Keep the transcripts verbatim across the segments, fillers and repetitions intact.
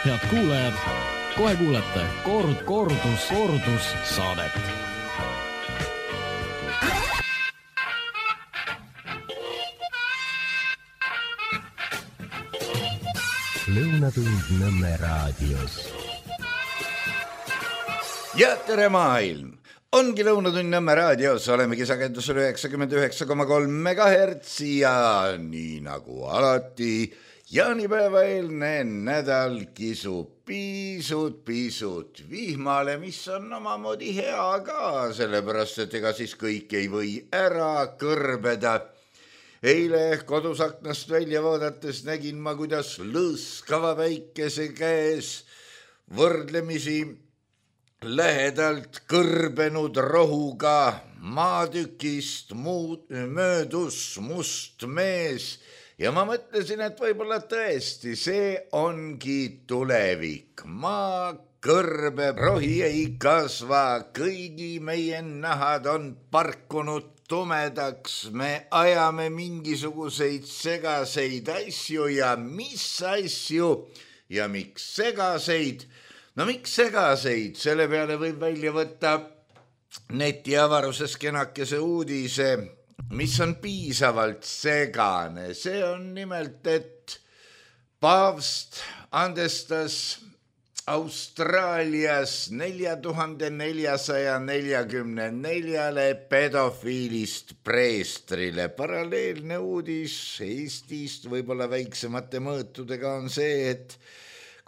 Head kuulajad, kohe kuulete kord, kordus, kordus saadet. Lõunatund Nõmme raadios. Ja tere maailm! Ongi Lõunatund Nõmme raadios, olemegi sagedusel üheksakümmend üheksa koma kolm megahertsi ja nii nagu alati jaanipäeva eelne nädal kisub pisut-pisut vihmale, mis on omamoodi hea ka, sellepärast et ega siis kõik ei või ära kõrbeda. Eile kodus aknast välja vaadates nägin ma, kuidas lõõskava päikese käes võrdlemisi lähedalt kõrbenud rohuga maatükist muud, möödus must mees ja ma mõtlesin, et võib-olla tõesti see ongi tulevik. Maa kõrbeb, rohi ei kasva, kõigi meie nahad on parkunud tumedaks, me ajame mingisuguseid segaseid asju ja mis asju ja miks segaseid? No miks segaseid? Selle peale võib välja võtta netiavaruses kenakese uudise, mis on piisavalt segane. See on nimelt, et paavst andestas Austraalias nelja tuhande neljasaja neljakümne neljale pedofiilist preestrile. Paralleelne uudis Eestist võib-olla väiksemate mõõtudega on see, et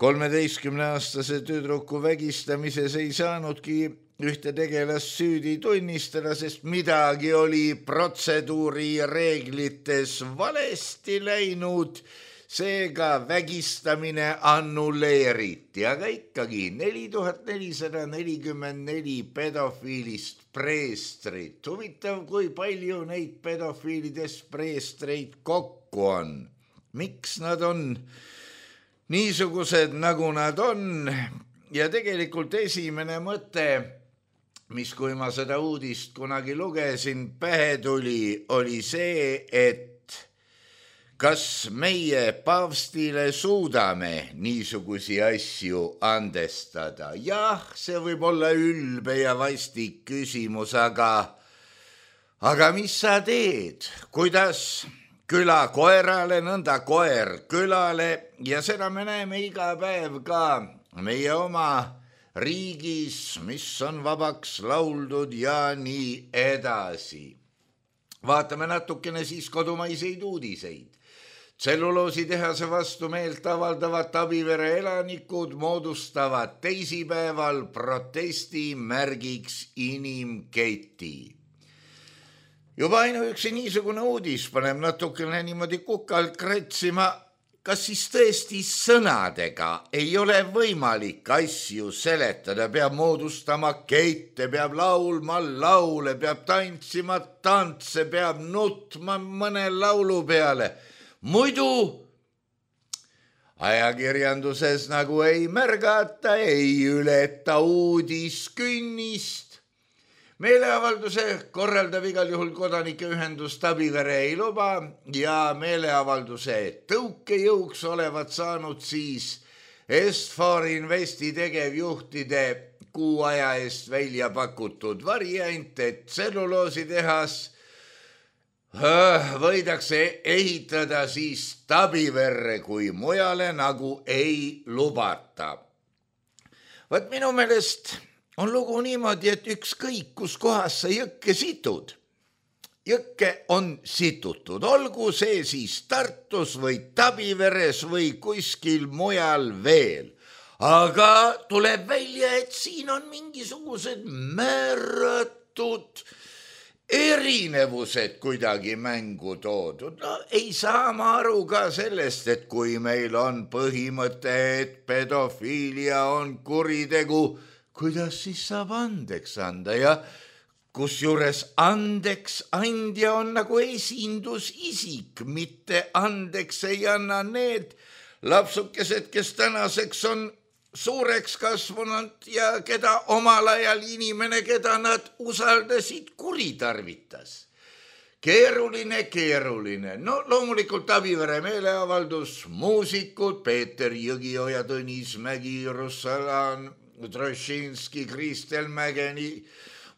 kolmeteistkümneaastase tüdruku vägistamises ei saanudki ühte tegelast süüdi tunnistada, sest midagi oli protseduuri reeglites valesti läinud, seega vägistamine annulleeriti, aga ikkagi neli tuhat nelisada nelikümmend neli pedofiilist preestrit. Huvitav, kui palju neid pedofiilidest preestreid kokku on. Miks nad on niisugused, nagu nad on? Ja tegelikult esimene mõte, mis kui ma seda uudist kunagi lugesin, pähe tuli, oli see, et kas meie paavstile suudame niisugusi asju andestada? Jah, see võib olla ülbe ja vastik küsimus, aga, aga mis sa teed? Kuidas küla koerale, nõnda koer külale ja seda me näeme iga päev ka meie oma riigis, mis on vabaks lauldud ja nii edasi. Vaatame natukene siis kodumaiseid uudiseid. Tselluloositehase vastu meelt avaldavad Tabivere elanikud moodustavad teisipäeval protesti märgiks inimketi. Juba ainuüksi niisugune uudis paneb natukene niimoodi kukalt kratsima, kas siis tõesti sõnadega ei ole võimalik asju seletada, peab moodustama kette, peab laulma laule, peab tantsima tantse, peab nutma mõne laulu peale. Muidu ajakirjanduses nagu ei märgata, ei ületa uudis künnist. Meeleavalduse korraldab igal juhul kodanikeühendus Tabivere ei luba ja meeleavalduse tõukejõuks olevat saanud siis Est-For Investi tegevjuhtide kuu aja eest välja pakutud variant, et tselluloositehas võidakse ehitada siis Tabiverre, kui mujale nagu ei lubata. Võt minu meelest on lugu niimoodi, et ükskõik kus kohas sa jõkke situd. Jõkke on situtud, olgu see siis Tartus või Tabiveres või kuskil mujal veel. Aga tuleb välja, et siin on mingisugused määratud erinevused kuidagi mängu toodud. No, ei saa ma aru ka sellest, et kui meil on põhimõte, et pedofiilia on kuritegu, kuidas siis saab andeks anda ja kus juures andeks andja on nagu esindusisik, mitte andeks ei anna need lapsukesed, kes tänaseks on suureks kasvanud ja keda omal ajal inimene, keda nad usaldasid, kuritarvitas. keeruline, keeruline. No loomulikult Avivere meeleavaldus, muusikud, Peeter Jõgioja, Tõnis Mägi, Russalan, Trošinski, Kristel Mägeni,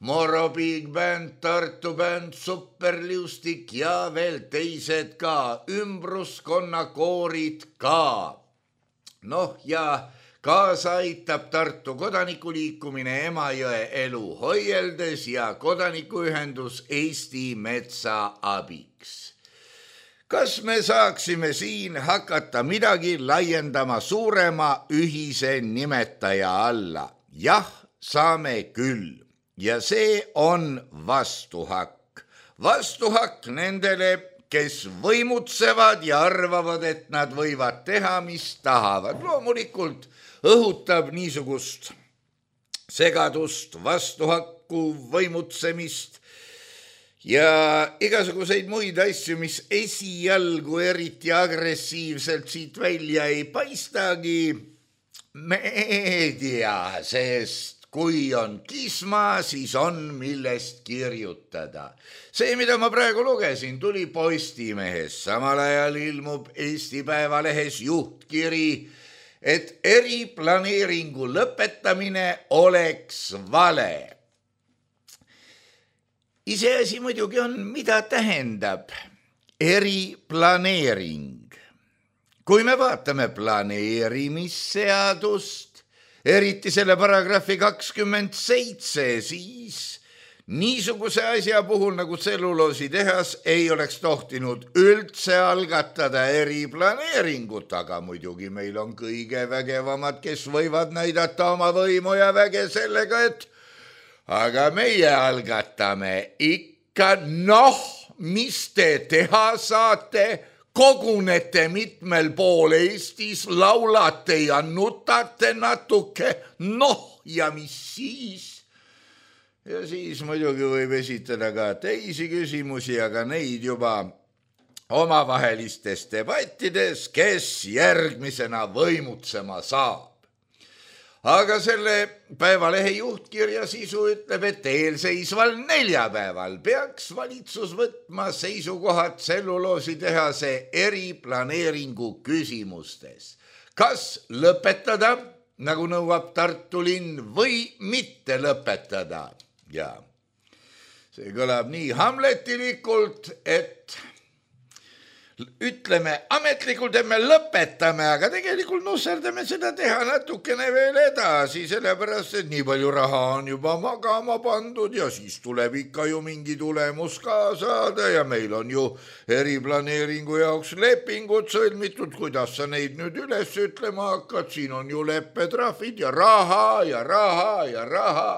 Moro Big Band, Tartu bänd, Superliustik ja veel teised ka, ümbruskonnakoorid ka. Noh ja kaasa aitab Tartu kodanikuliikumine Emajõe elu hoieldes ja kodanikuühendus Eesti Metsa abiks. Kas me saaksime siin hakata midagi laiendama suurema ühise nimetaja alla? Jah, saame küll. Ja see on vastuhakk. Vastuhakk nendele, kes võimutsevad ja arvavad, et nad võivad teha, mis tahavad. Loomulikult õhutab niisugust segadust, vastuhakku, võimutsemist ja igasuguseid muid asju, mis esialgu eriti agressiivselt siit välja ei paistagi meedia, sest kui on kisma, siis on millest kirjutada. See, mida ma praegu lugesin, tuli Postimehes. Samal ajal ilmub Eesti Päevalehes juhtkiri, et eriplaneeringu lõpetamine oleks vale. Iseasi muidugi on, mida tähendab eriplaneering. Kui me vaatame planeerimisseadust, eriti selle paragrahvi kakskümmend seitse, siis niisuguse asja puhul nagu tselluloositehas ei oleks tohtinud üldse algatada eriplaneeringut, aga muidugi meil on kõige vägevamad, kes võivad näidata oma võimu ja väge sellega, et aga meie algatame ikka, noh, mis te teha saate, kogunete mitmel pool Eestis, laulate ja nutate natuke, noh ja mis siis? Ja siis muidugi võib esitada ka teisi küsimusi, aga neid juba omavahelistes debattides, kes järgmisena võimutsema saab. Aga selle Päevalehe juhtkirja sisu ütleb, et eelseisval neljapäeval peaks valitsus võtma seisukohad tselluloositehase eriplaneeringu küsimustes. Kas lõpetada, nagu nõuab Tartu linn, või mitte lõpetada? Ja see kõlab nii hamletilikult, et ütleme ametlikult, et me lõpetame, aga tegelikult nusserdame seda teha natukene veel edasi, sellepärast, et nii palju raha on juba magama pandud ja siis tuleb ikka ju mingi tulemus ka saada ja meil on ju eriplaneeringu jaoks lepingud sõlmitud, kuidas sa neid nüüd üles ütlema hakkad, siin on ju leppetrahvid ja raha ja raha ja raha.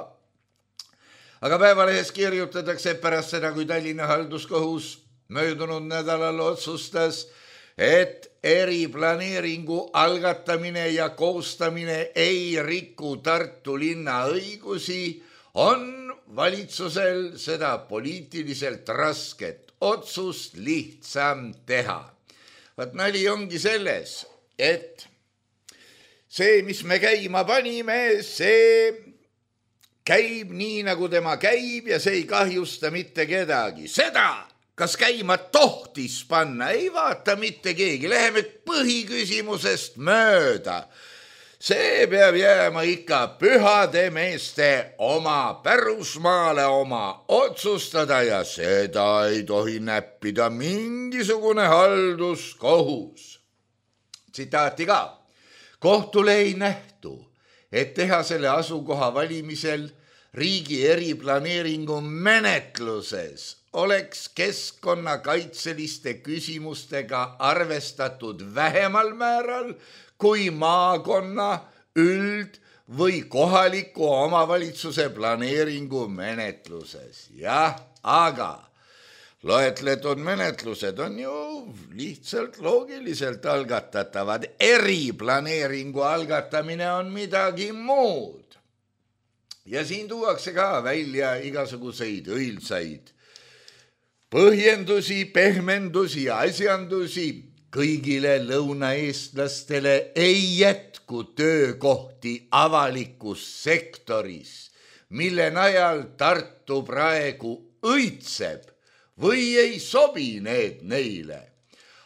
Aga Päevalehes kirjutatakse pärast seda, kui Tallinna halduskohus möödunud nädalal otsustas, et eriplaneeringu algatamine ja koostamine ei riku Tartu linna õigusi, on valitsusel seda poliitiliselt rasket otsust lihtsam teha. Vaat nali ongi selles, et see, mis me käima panime, see käib nii, nagu tema käib ja see ei kahjusta mitte kedagi. Seda kas käima tohtis panna, ei vaata mitte keegi, läheme põhiküsimusest mööda. See peab jääma ikka pühade meeste oma pärusmaale oma otsustada ja seda ei tohi näppida mingisugune halduskohus. Tsitaati ka. Kohtule ei nähtu, et teha selle asukoha valimisel riigi eriplaneeringu menetluses oleks keskkonnakaitseliste küsimustega arvestatud vähemal määral kui maakonna, üld- või kohaliku omavalitsuse planeeringu menetluses. Jah, aga loetletud menetlused on ju lihtsalt loogiliselt algatatavad. Eriplaneeringu algatamine on midagi muud. Ja siin tuuakse ka välja igasuguseid õilsaid põhjendusi, pehmendusi ja asjandusi. Kõigile lõunaeestlastele ei jätku töökohti avalikus sektoris, mille najal Tartu praegu õitseb või ei sobi need neile.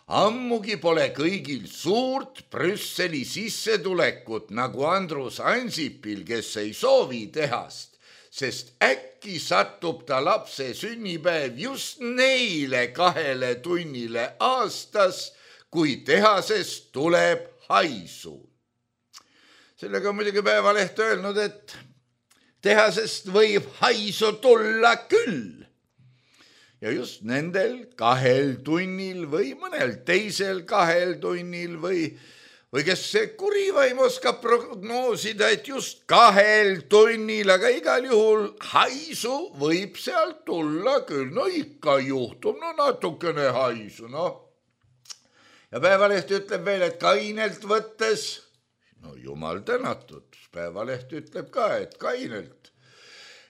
Ammugi pole kõigil suurt Brüsseli sissetulekut nagu Andrus Ansipil, kes ei soovi tehast, sest äkki satub ta lapse sünnipäev just neile kahele tunnile aastas, kui tehasest tuleb haisu. Sellega on muidugi Päevaleht öelnud, et tehasest võib haisu tulla küll. Ja just nendel kahel tunnil või mõnel teisel kahel tunnil või, või kes see kurivaim oskab prognoosida, et just kahel tunnil, aga igal juhul haisu võib sealt tulla küll. No ikka juhtub, no natukene haisu, noh. Ja Päevaleht ütleb veel, et kainelt võttes, no jumal tänatud, Päevaleht ütleb ka, et kainelt.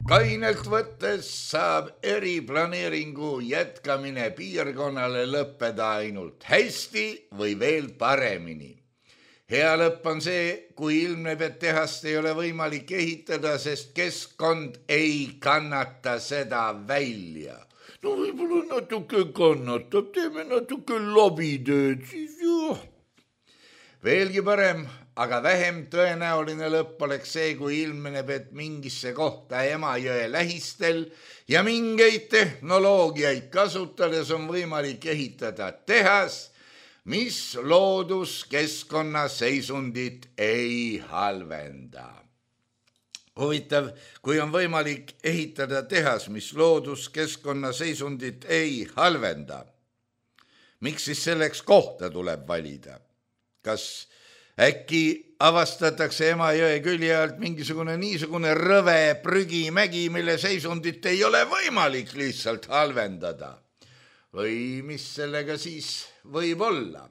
Kainelt võttes saab eriplaneeringu jätkamine piirkonnale lõppeda ainult hästi või veel paremini. Hea lõpp on see, kui ilmneb, et tehast ei ole võimalik ehitada, sest keskkond ei kannata seda välja. No võib-olla natuke kannatab, teeme natuke lobitööd, siis ju. Veelgi parem, aga vähem tõenäoline lõpp oleks see, kui ilmeneb, et mingisse kohta Emajõe lähistel ja mingeid tehnoloogiaid kasutades on võimalik ehitada tehas, mis looduskeskkonna seisundit ei halvenda. Huvitav, kui on võimalik ehitada tehas, mis looduskeskkonna seisundit ei halvenda, miks siis selleks kohta tuleb valida? Kas äkki avastatakse Emajõe külje alt mingisugune niisugune rõve prügimägi, mille seisundit ei ole võimalik lihtsalt halvendada? Või mis sellega siis võib olla?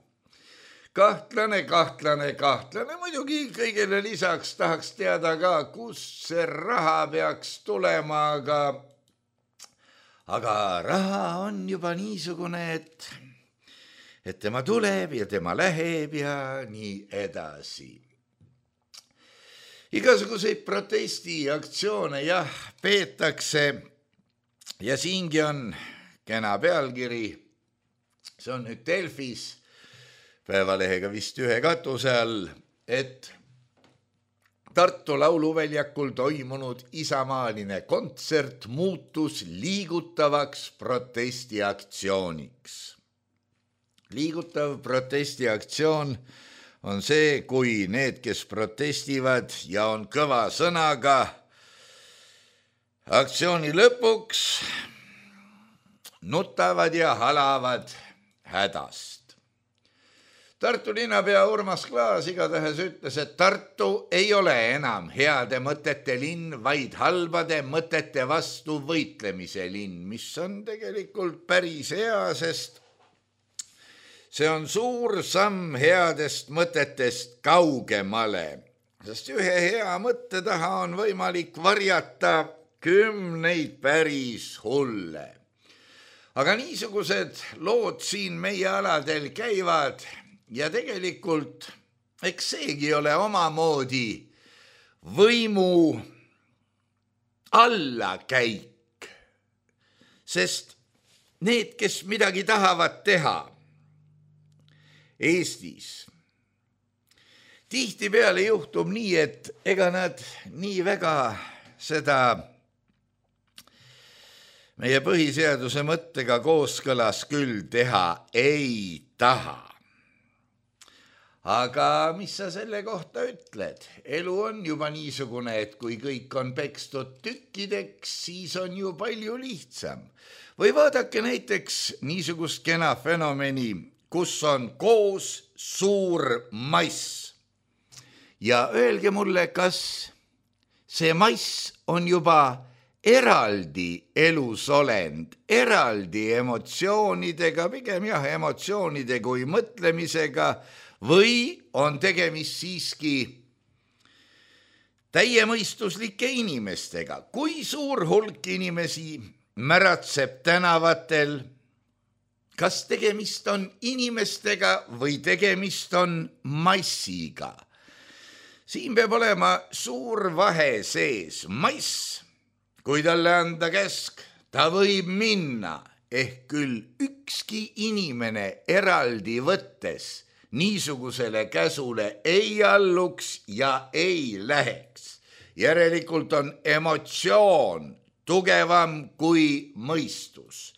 Kahtlane, kahtlane, kahtlane. Muidugi kõigele lisaks tahaks teada ka, kus see raha peaks tulema, aga, aga raha on juba niisugune, et... et tema tuleb ja tema läheb ja nii edasi. Igasuguseid protestiaktsioone jah, peetakse ja siingi on kena pealkiri. See on nüüd Delfis, Päevalehega vist ühe katuse all, et Tartu lauluväljakul toimunud isamaaline kontsert muutus liigutavaks protestiaktsiooniks. Liigutav protestiaktsioon on see, kui need, kes protestivad ja on kõva sõnaga, aktsiooni lõpuks nutavad ja halavad hädast. Tartu linnapea Urmas Klaas igatahes ütles, et Tartu ei ole enam heade mõtete linn, vaid halbade mõtete vastu võitlemise linn, mis on tegelikult päris hea, sest see on suur samm headest mõtetest kaugemale, sest ühe hea mõtte taha on võimalik varjata kümneid päris hulle. Aga niisugused lood siin meie aladel käivad ja tegelikult eks seegi ole omamoodi võimu allakäik, sest need, kes midagi tahavad teha Eestis, tihtipeale juhtub nii, et ega nad nii väga seda meie põhiseaduse mõttega kooskõlas küll teha ei taha. Aga mis sa selle kohta ütled? Elu on juba niisugune, et kui kõik on pekstud tükkideks, siis on ju palju lihtsam. Või vaadake näiteks niisugust kena fenomeni, kus on koos suur mass. Ja öelge mulle, kas see mass on juba eraldi elusolend, eraldi emotsioonidega, pigem jah, emotsioonide kui mõtlemisega, või on tegemist siiski täiemõistuslike inimestega. Kui suur hulk inimesi märatseb tänavatel, kas tegemist on inimestega või tegemist on massiga? Siin peab olema suur vahe sees. Mass, kui talle anda käsk, ta võib minna ehk küll ükski inimene eraldi võttes niisugusele käsule ei alluks ja ei läheks. Järelikult on emotsioon tugevam kui mõistus.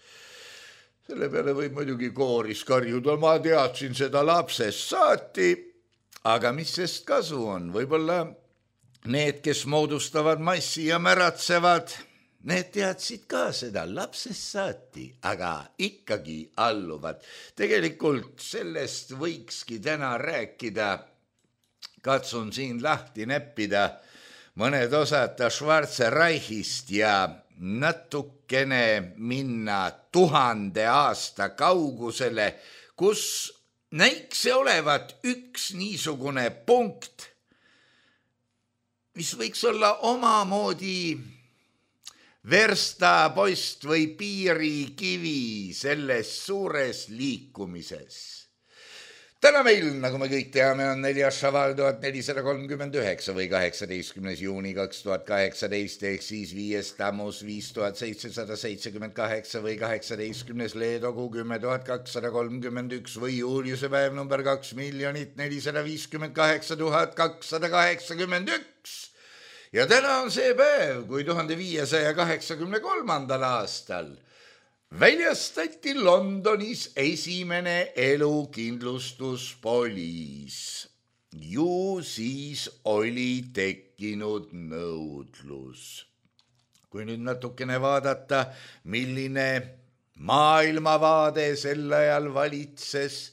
Selle peale võib muidugi kooris karjuda, ma teadsin seda lapsest saati, aga mis sest kasu on? Võib-olla need, kes moodustavad massi ja märatsevad, need teadsid ka seda lapsest saati, aga ikkagi alluvad. Tegelikult sellest võikski täna rääkida. Katsun siin lahti neppida mõned osad Schwarze Reichist ja natukene minna tuhande aasta kaugusele, kus näiks see olevat üks niisugune punkt, mis võiks olla omamoodi verstapost või piirikivi selles suures liikumises. Täna meil, nagu me kõik teame, on neljas Šaval tuhat nelisada kolmkümmend üheksa või kaheksateistkümnes juuni kaks tuhat kaheksateist ehk siis viies Tammus viis tuhat seitsesada seitsekümmend kaheksa või kaheksateistkümnes Leedogu kümme tuhat kakssada kolmkümmend üks või Juuliuse päev number kaks miljonit nelisada viiskümmend kaheksa tuhat kakssada kaheksakümmend üks. Ja täna on see päev, kui tuhande viiesaja kaheksakümne kolmandal aastal väljastati Londonis esimene elukindlustuspoliis. Ju siis oli tekkinud nõudlus. Kui nüüd natukene vaadata, milline maailmavaade sel ajal valitses,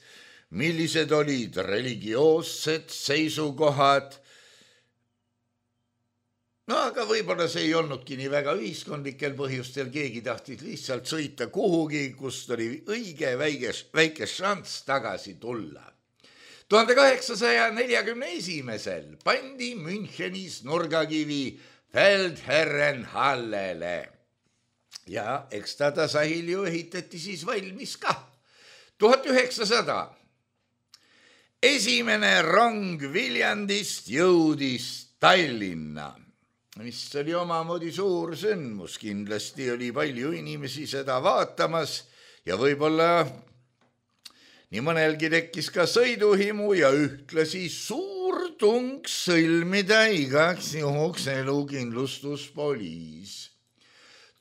millised olid religioossed seisukohad, no aga võib-olla see ei olnudki nii väga ühiskondlikel põhjustel, keegi tahtis lihtsalt sõita kuhugi, kust oli õige väike, väike šanss tagasi tulla. tuhande kaheksasaja neljakümne esimesel pandi Münchenis nurgakivi Feldherrenhallele ja eks ta tasahil ju ehitati siis valmis ka. tuhat üheksasada esimene rong Viljandist jõudis Tallinna, mis oli omamoodi suur sündmus, kindlasti oli palju inimesi seda vaatamas ja võib-olla nii mõnelgi tekkis ka sõiduhimu ja ühtlasi suur tung sõlmida igaks juhuks elukindlustuspoliis.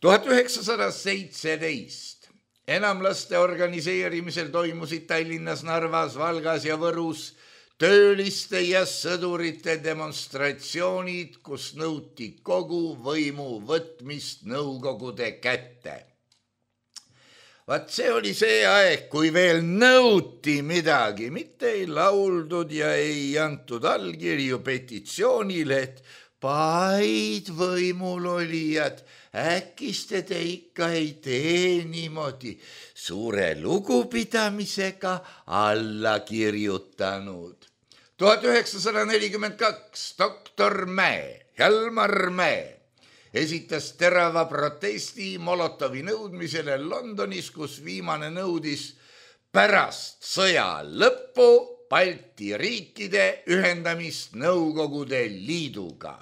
tuhat üheksasada seitseteist enamlaste organiseerimisel toimusid Tallinnas, Narvas, Valgas ja Võrus tööliste ja sõdurite demonstratsioonid, kus nõuti kogu võimu võtmist Nõukogude kätte. Vaat see oli see aeg, kui veel nõuti midagi, mitte ei lauldud ja ei antud allkirju petitsioonile, et paid võimul olijad, äkiste te ikka ei tee niimoodi suure lugupidamisega alla kirjutanud. tuhat üheksasada nelikümmend kaks doktor Mäe, Hjalmar Mäe esitas terava protesti Molotovi nõudmisele Londonis, kus viimane nõudis pärast sõja lõppu Balti riikide ühendamist Nõukogude Liiduga.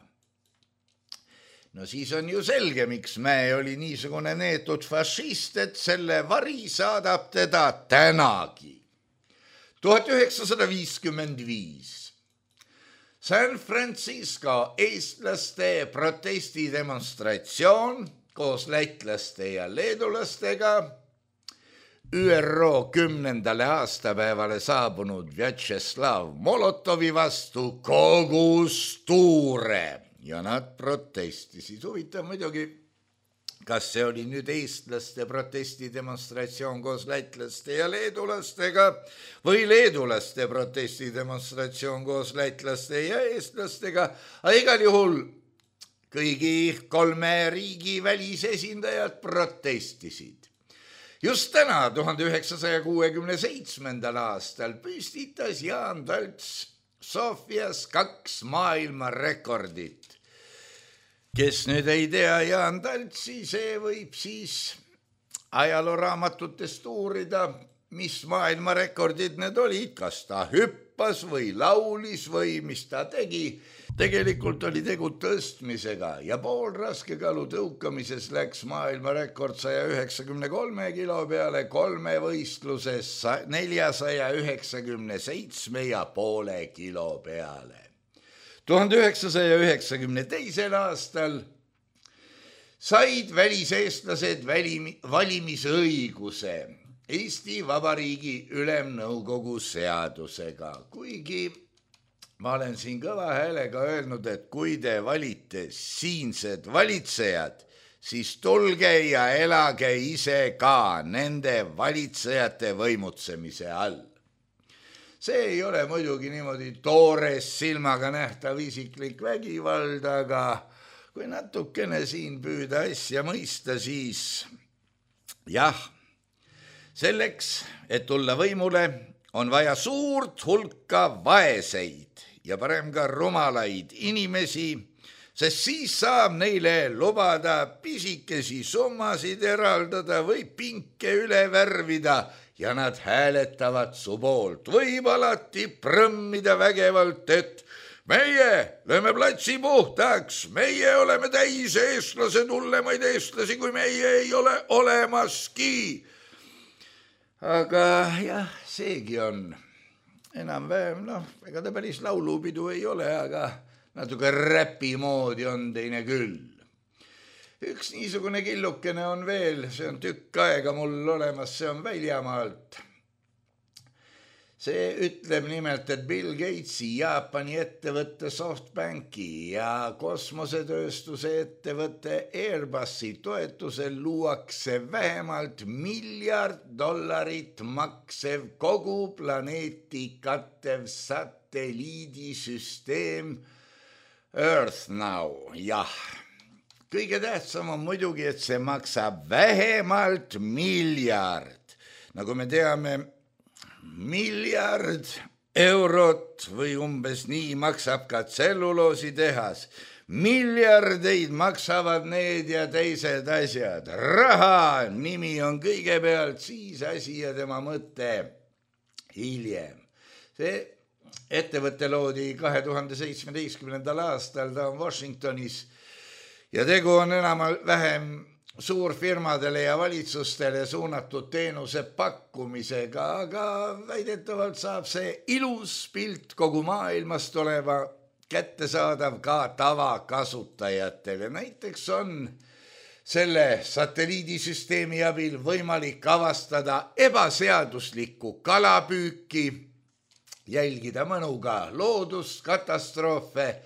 No siis on ju selge, miks Mäe oli niisugune neetud fašist, et selle vari saadab teda tänagi. tuhat üheksasada viiskümmend viis San Francisco eestlaste protestidemonstratsioon koos lätlaste ja leedulastega, Ü R O kümnendale aastapäevale saabunud Vjatšeslav Molotovi vastu kogus tuure ja nad protestisid. Huvitav muidugi, kas see oli nüüd eestlaste protestidemonstratsioon koos lätlaste ja leedulastega või leedulaste protestidemonstratsioon koos lätlaste ja eestlastega, aga igal juhul kõigi kolme riigi välisesindajad protestisid. Just täna, tuhande üheksasaja kuuekümne seitsmendal aastal püstitas Jaan Talts Sofias kaks maailmarekordit. Kes nüüd ei tea Jaan Taltsi, see võib siis ajalooraamatutest uurida, mis maailmarekordid need olid, kas ta hüppas või laulis või mis ta tegi. Tegelikult oli tegu tõstmisega ja poolraskekalu tõukamises läks maailmarekord saja üheksakümne kolme kilo peale, kolme võistluses neljasaja üheksakümne seitsme ja poole kilo peale. tuhande üheksasaja üheksakümne teisel aastal said väliseestlased valimisõiguse Eesti Vabariigi Ülemnõukogu seadusega, kuigi ma olen siin kõva häälega öelnud, et kui te valite siinsed valitsejad, siis tulge ja elage ise ka nende valitsejate võimutsemise all. See ei ole muidugi niimoodi toores silmaga nähtav isiklik vägivald, aga kui natukene siin püüda asja mõista, siis jah, selleks, et tulla võimule, on vaja suurt hulka vaeseid ja parem ka rumalaid inimesi, sest siis saab neile lubada pisikesi summasid eraldada või pinke üle värvida ja nad hääletavad su poolt. Võib alati prõmmida vägevalt, et meie lööme platsi puhtaks, meie oleme täis eestlased, hullemaid eestlasi, kui meie ei ole olemaski. Aga jah, seegi on enam-vähem, noh, ega ta päris laulupidu ei ole, aga natuke räpi moodi on teine küll. Üks niisugune killukene on veel, see on tükk aega mul olemas, see on väljamaalt. See ütleb nimelt, et Bill Gatesi, Jaapani ettevõtte SoftBanki ja kosmosetööstuse ettevõtte Airbusi toetusel luuakse vähemalt miljard dollarit maksev kogu planeeti kattev satelliidisüsteem Earth Now. Jah, kõige tähtsam on muidugi, et see maksab vähemalt miljard. Nagu me teame, miljard eurot või umbes nii maksab ka tselluloositehas. Miljardeid maksavad need ja teised asjad. Raha nimi on kõigepealt, siis asi ja tema mõte hiljem. See ettevõte loodi kahe tuhande seitsmeteistkümnendal aastal, ta on Washingtonis ja tegu on enam vähem suurfirmadele ja valitsustele suunatud teenuse pakkumisega, aga väidetavalt saab see ilus pilt kogu maailmast oleva kättesaadav ka tavakasutajatele. Näiteks on selle satelliidisüsteemi abil võimalik avastada ebaseaduslikku kalapüüki, jälgida mõnuga looduskatastroofe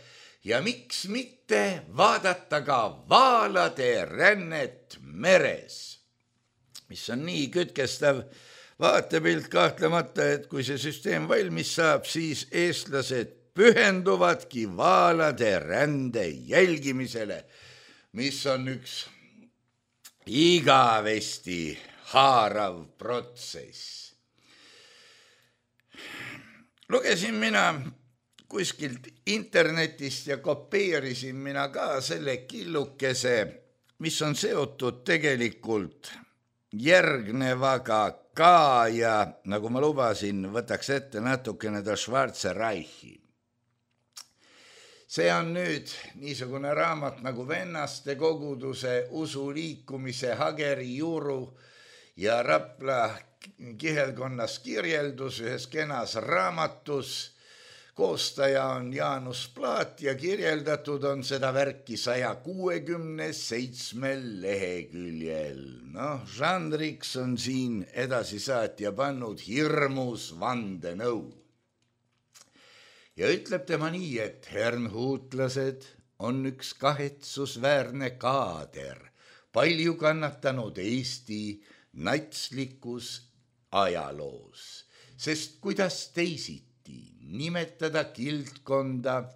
ja miks mitte vaadata ka vaalade rännet meres, mis on nii kütkestav vaatepilt kahtlemata, et kui see süsteem valmis saab, siis eestlased pühenduvadki vaalade rände jälgimisele, mis on üks igavesti haarav protsess. Lugesin mina kuskilt internetist ja kopeerisin mina ka selle killukese, mis on seotud tegelikult järgnevaga ka ja nagu ma lubasin, võtaks ette natukene ta Schwarze Reichi. See on nüüd niisugune raamat nagu Vennaste koguduse usuliikumise Hageri Juuru ja Rapla kihelkonnas kirjeldus ühes kenas raamatus. Koostaja on Jaanus Plaat ja kirjeldatud on seda värki saja kuuekümne seitsmel leheküljel. Noh, žanriks on siin edasisaatja pannud hirmus vandenõu. Ja ütleb tema nii, et hermhuutlased on üks kahetsusväärne kaader, palju kannatanud Eesti natslikus ajaloos, sest kuidas teisiti nimetada kildkonda,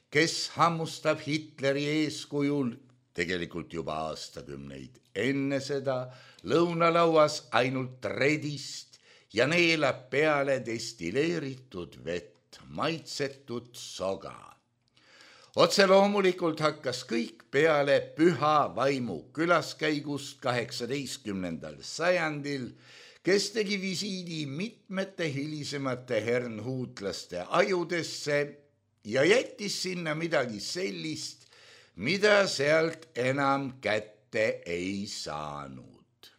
kes hammustab Hitleri eeskujul tegelikult juba aastakümneid enne seda lõunalauas ainult redist ja neelab peale destilleeritud vett, maitsetud soga. Otse loomulikult hakkas kõik peale püha vaimu külaskäigust kaheksateistkümnendal sajandil, kes tegi visiidi mitmete hilisemate hernhuutlaste ajudesse ja jättis sinna midagi sellist, mida sealt enam kätte ei saanud.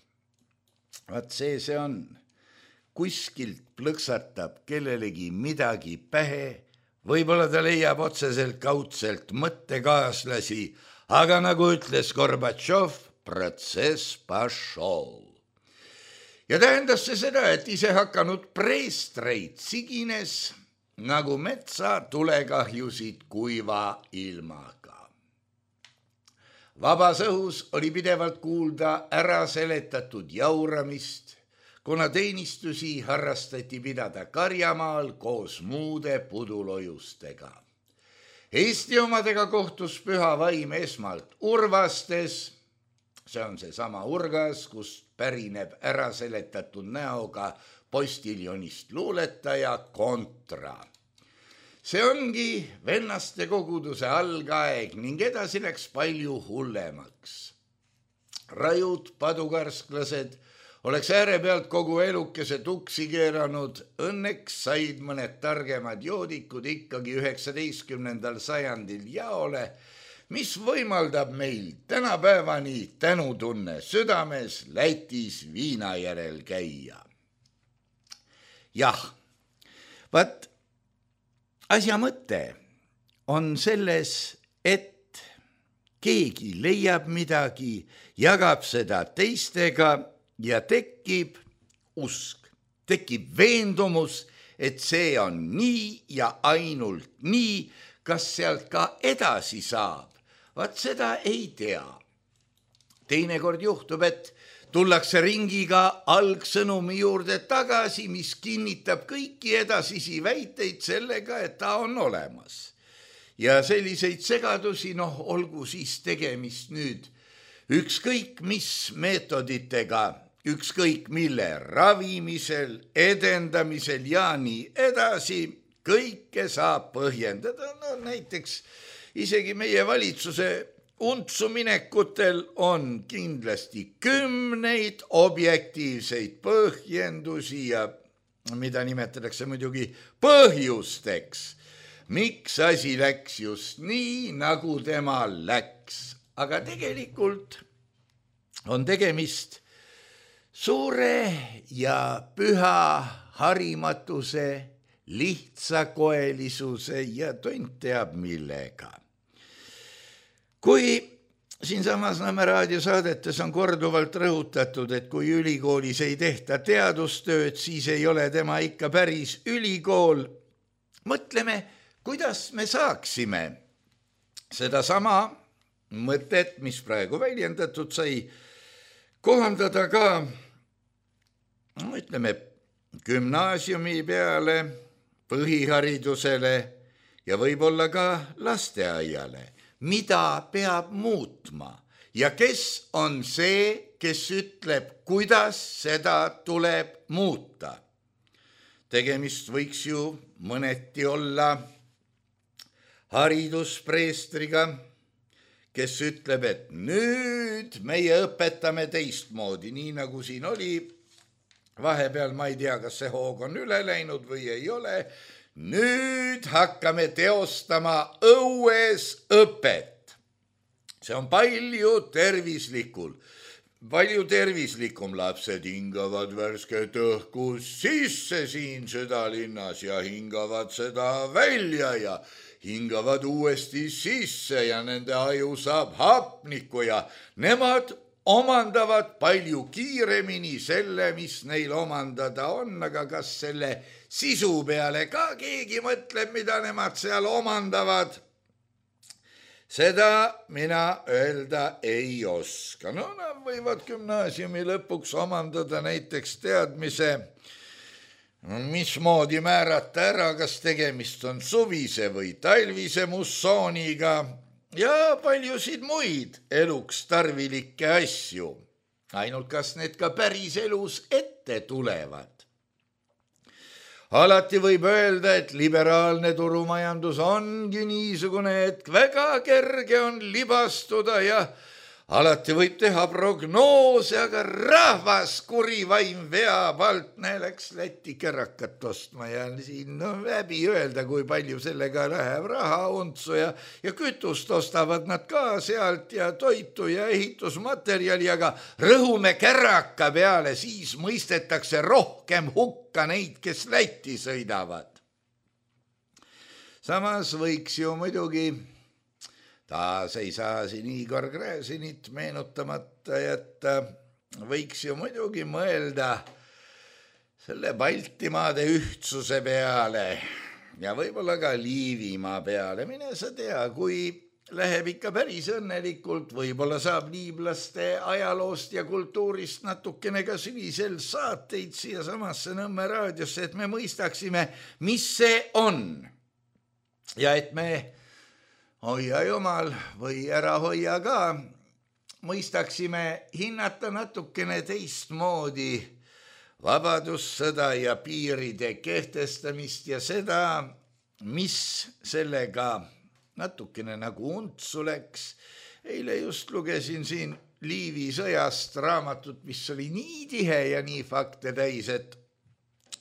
Vaat see see on. Kuskilt plõksatab kellelegi midagi pähe, võib-olla ta leiab otseselt kaudselt mõttekaaslasi, aga nagu ütles Gorbatšov, protsess pašol. Ja tähendas see seda, et ise hakanud preestreid sigines nagu metsa tulekahjusid kuiva ilmaga. Vabas õhus oli pidevalt kuulda ära seletatud jauramist, kuna teenistusi harrastati pidada Karjamaal koos muude pudulojustega. Eesti omadega kohtus püha vaim esmalt Urvastes, see on see sama Urgas, kust pärineb ära seletatud näoga postiljonist luuletaja Kontra. See ongi vennaste koguduse algaeg ning edasi läks palju hullemaks. Rajud padukarsklased oleks ääre pealt kogu elukese tuksi keeranud, õnneks said mõned targemad joodikud ikkagi üheksateistkümnendal sajandil jaole, mis võimaldab meil tänapäevani tänutunne südames Lätis viina järel käia. Jah, vaat asja mõte on selles, et keegi leiab midagi, jagab seda teistega ja tekib usk, tekib veendumus, et see on nii ja ainult nii, kas sealt ka edasi saab. Vaat seda ei tea. Teinekord juhtub, et tullakse ringiga algsõnumi juurde tagasi, mis kinnitab kõiki edasisi väiteid sellega, et ta on olemas. Ja selliseid segadusi, noh, olgu siis tegemist nüüd ükskõik mis meetoditega, ükskõik mille ravimisel, edendamisel ja nii edasi, kõike saab põhjendada, no näiteks isegi meie valitsuse untsuminekutel on kindlasti kümneid objektiivseid põhjendusi ja mida nimetatakse muidugi põhjusteks, miks asi läks just nii, nagu tema läks. Aga tegelikult on tegemist suure ja püha harimatuse, lihtsakoelisuse ja tont teab millega. Kui siinsamas Nõmme raadiosaadetes on korduvalt rõhutatud, et kui ülikoolis ei tehta teadustööd, siis ei ole tema ikka päris ülikool, mõtleme, kuidas me saaksime sedasama mõtet, mis praegu väljendatud sai, kohandada ka, no ütleme, gümnaasiumi peale, põhiharidusele ja võib-olla ka lasteaiale. Mida peab muutma ja kes on see, kes ütleb, kuidas seda tuleb muuta. Tegemist võiks ju mõneti olla hariduspreestriga, kes ütleb, et nüüd meie õpetame teistmoodi, nii nagu siin oli. Vahepeal ma ei tea, kas see hoog on üle läinud või ei ole. Nüüd hakkame teostama õues õpet. See on palju tervislikul. Palju tervislikum, lapsed hingavad värsket õhku sisse siin südalinnas ja hingavad seda välja ja hingavad uuesti sisse ja nende aju saab hapnikku ja nemad omandavad palju kiiremini selle, mis neil omandada on, aga kas selle sisu peale ka keegi mõtleb, mida nemad seal omandavad? Seda mina öelda ei oska. No nad võivad gümnaasiumi lõpuks omandada näiteks teadmise, mismoodi määrata ära, kas tegemist on suvise või talvise mussooniga ja paljusid muid eluks tarvilikke asju. Ainult kas need ka päris elus ette tulevad. Alati võib öelda, et liberaalne turumajandus ongi niisugune, et väga kerge on libastuda ja alati võib teha prognoose, aga rahvas kuri vaim veab alt, näe, läks Läti kärakat ostma ja siin no, läbi öelda, kui palju sellega läheb raha untsu ja, ja kütust ostavad nad ka sealt ja toitu ja ehitusmaterjali, aga rõhume käraka peale, siis mõistetakse rohkem hukka neid, kes Lätti sõidavad. Samas võiks ju muidugi taas ei saa siin Igor Gräzinit meenutamata jätta, võiks ju muidugi mõelda selle Baltimaade ühtsuse peale ja võib-olla ka Liivimaa peale. Mine sa tea, kui läheb ikka päris õnnelikult, võib-olla saab liiblaste ajaloost ja kultuurist natukene ka sügisel saateid siia samasse Nõmme raadiosse, et me mõistaksime, mis see on. Ja et me hoia jumal või ära hoia ka, mõistaksime hinnata natukene teistmoodi vabadussõda ja piiride kehtestamist ja seda, mis sellega natukene nagu untsu läks. Eile just lugesin siin Liivi sõjast raamatut, mis oli nii tihe ja nii fakte täis, et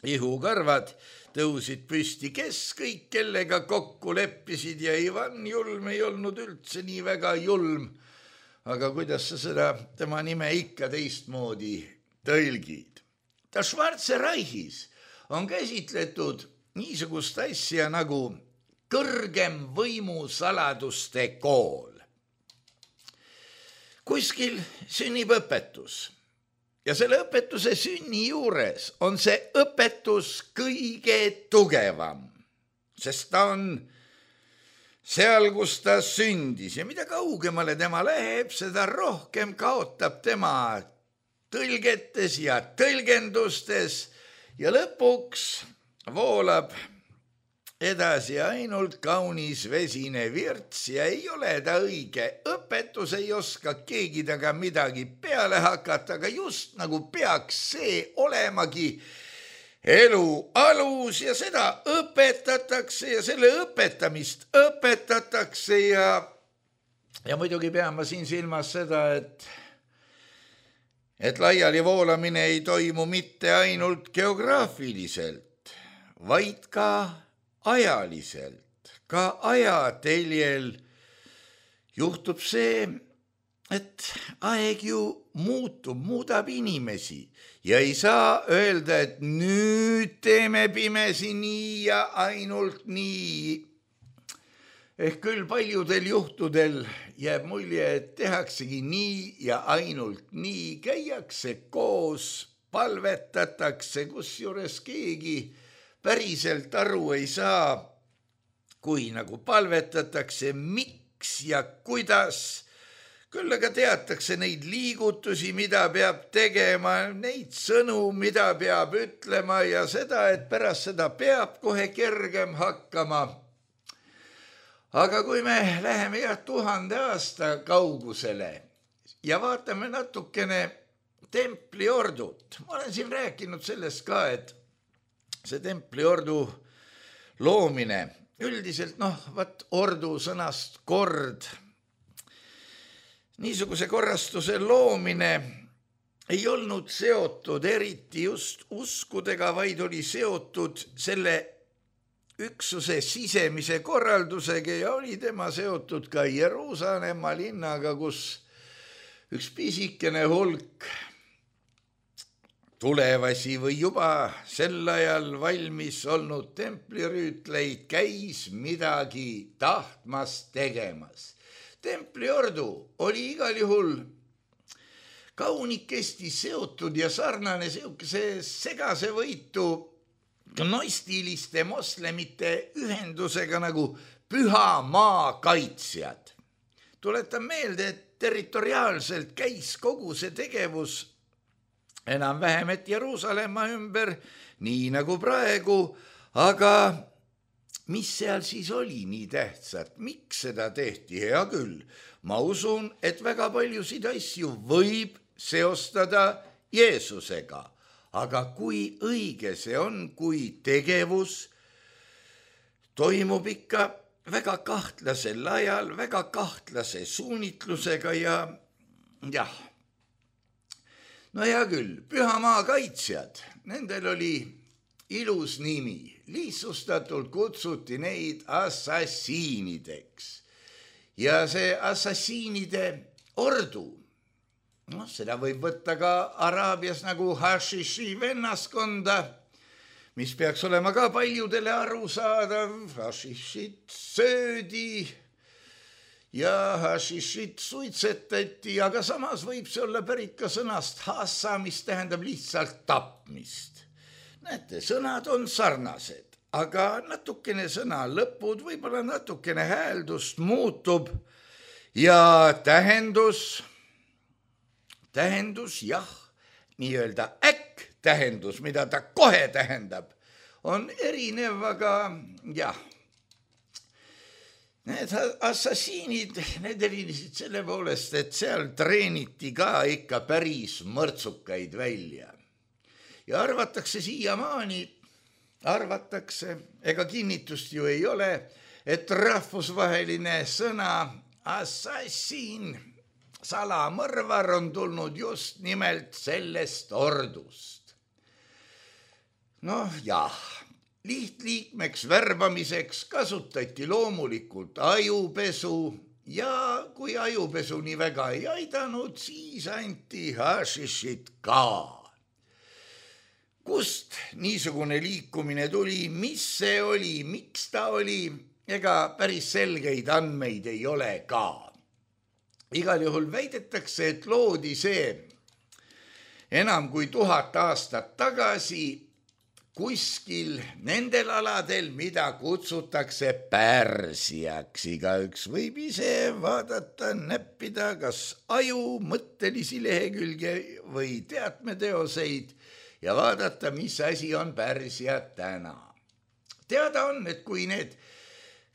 ihukarvad tõusid püsti, kes kõik kellega kokku leppisid ja Ivan Julm ei olnud üldse nii väga julm. Aga kuidas sa seda tema nime ikka teistmoodi tõlgid? Ta Schwarze Reichis on käsitletud niisugust asja nagu kõrgem võimusaladuste kool. Kuskil sünnib õpetus. Ja selle õpetuse sünni juures on see õpetus kõige tugevam, sest ta on seal, kus ta sündis ja mida kaugemale tema läheb, seda rohkem kaotab tema tõlgetes ja tõlgendustes ja lõpuks voolab edasi ainult kaunis vesine virts ja ei ole ta õige. Õpetus ei oska keegi taga midagi peale hakata, aga just nagu peaks see olemagi elu alus ja seda õpetatakse ja selle õpetamist õpetatakse ja, ja muidugi pean ma siin silmas seda, et, et laiali voolamine ei toimu mitte ainult geograafiliselt, vaid ka ajaliselt, ka ajateljel juhtub see, et aeg ju muutub, muudab inimesi ja ei saa öelda, et nüüd teeme pimesi nii ja ainult nii. Ehk küll paljudel juhtudel jääb mulje, et tehaksegi nii ja ainult nii, käiakse koos, palvetatakse, kusjuures keegi päriselt aru ei saa, kui nagu palvetatakse, miks ja kuidas. Küll aga teatakse neid liigutusi, mida peab tegema, neid sõnu, mida peab ütlema ja seda, et pärast seda peab kohe kergem hakkama. Aga kui me läheme jah tuhande aasta kaugusele ja vaatame natukene templiordut, ma olen siin rääkinud sellest ka, et see templiordu loomine, üldiselt noh, vaat ordu sõnast kord, niisuguse korrastuse loomine ei olnud seotud eriti just uskudega, vaid oli seotud selle üksuse sisemise korraldusega ja oli tema seotud ka Jeruusalemma linnaga, kus üks pisikene hulk tulevasi või juba sel ajal valmis olnud templirüütleid käis midagi tahtmas tegemas. Templiordu oli igal juhul kaunikesti seotud ja sarnane see segase võitu gnostiliste moslemite ühendusega nagu Püha Maa kaitsjad. Tuletan meelde, et territoriaalselt käis kogu see tegevus enam-vähem, et Jeruusalemma ümber, nii nagu praegu, aga mis seal siis oli nii tähtsat, miks seda tehti, hea küll. Ma usun, et väga paljusid asju võib seostada Jeesusega, aga kui õige see on, kui tegevus toimub ikka väga kahtlasel ajal, väga kahtlase suunitlusega ja jah, no hea küll, Pühamaa kaitsjad, nendel oli ilus nimi, lihtsustatult kutsuti neid assassiinideks ja see assassiinide ordu, noh, seda võib võtta ka Araabias nagu hašiši vennaskonda, mis peaks olema ka paljudele arusaadav, hašišit söödi ja hašišit suitsetati, aga samas võib see olla pärit ka sõnast hassa, mis tähendab lihtsalt tapmist. Näete, sõnad on sarnased, aga natukene sõna lõpud, võib-olla natukene hääldust muutub ja tähendus, tähendus jah, nii-öelda äkk tähendus, mida ta kohe tähendab, on erinev, aga jah, need assassiinid, need erinesid selle poolest, et seal treeniti ka ikka päris mõrtsukaid välja. Ja arvatakse siiamaani, arvatakse, ega kinnitust ju ei ole, et rahvusvaheline sõna assassin, salamõrvar on tulnud just nimelt sellest ordust. Noh jah, lihtliikmeks värbamiseks kasutati loomulikult ajupesu ja kui ajupesu nii väga ei aidanud, siis anti hašišit ka. Kust niisugune liikumine tuli, mis see oli, miks ta oli, ega päris selgeid andmeid ei ole ka. Igal juhul väidetakse, et loodi see enam kui tuhat aastat tagasi kuskil nendel aladel, mida kutsutakse Pärsiaks. Igaüks võib ise vaadata, näppida kas aju, mõttelisi lehekülge või teatmeteoseid ja vaadata, mis asi on Pärsia täna. Teada on, et kui need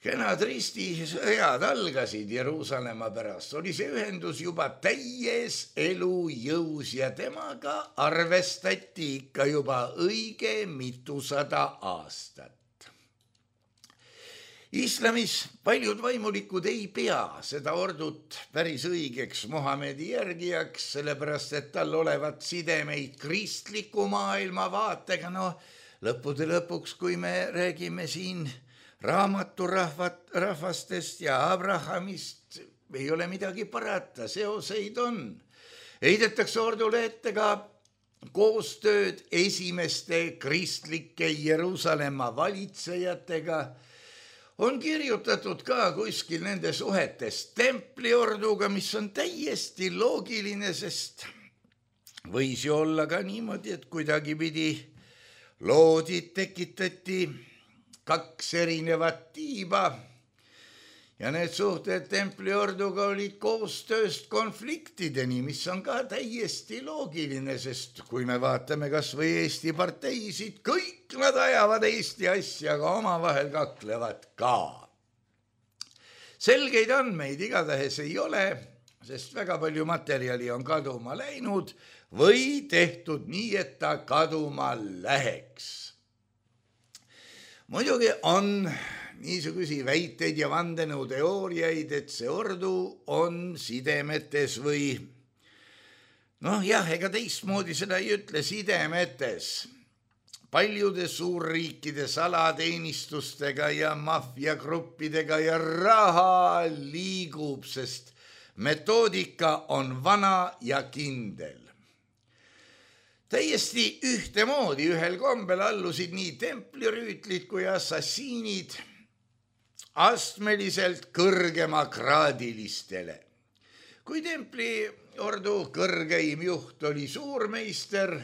kenad ristisõjad algasid Jeruusalemma pärast, oli see ühendus juba täies elujõus ja temaga arvestati ikka juba õige mitusada aastat. Islamis paljud vaimulikud ei pea seda ordut päris õigeks Muhamedi järgijaks, sellepärast et tal olevat sidemeid kristliku maailmavaatega. No lõppude lõpuks, kui me räägime siin raamaturahvat, rahvastest ja Abrahamist, ei ole midagi parata, seoseid on. Heidetakse ordule ette ka koostööd esimeste kristlike Jeruusalemma valitsejatega. On kirjutatud ka kuskil nende suhetes templiorduga, mis on täiesti loogiline, sest võis ju olla ka niimoodi, et kuidagi pidi loodid tekitati kaks erinevat tiiba ja need suhted templiorduga olid koostööst konfliktideni, mis on ka täiesti loogiline, sest kui me vaatame kas või Eesti parteisid, kõik nad ajavad Eesti asja, aga omavahel kaklevad ka. Selgeid andmeid igatahes ei ole, sest väga palju materjali on kaduma läinud või tehtud nii, et ta kaduma läheks. Muidugi on niisugusi väiteid ja vandenõuteooriaid, et see ordu on sidemetes või noh jah, ega teistmoodi seda ei ütle, sidemetes paljude suurriikide salateenistustega ja maffiagruppidega ja raha liigub, sest metoodika on vana ja kindel. Täiesti ühtemoodi ühel kombel allusid nii templirüütlid kui assassiinid astmeliselt kõrgemakraadilistele. Kui templiordu kõrgeim juht oli suurmeister,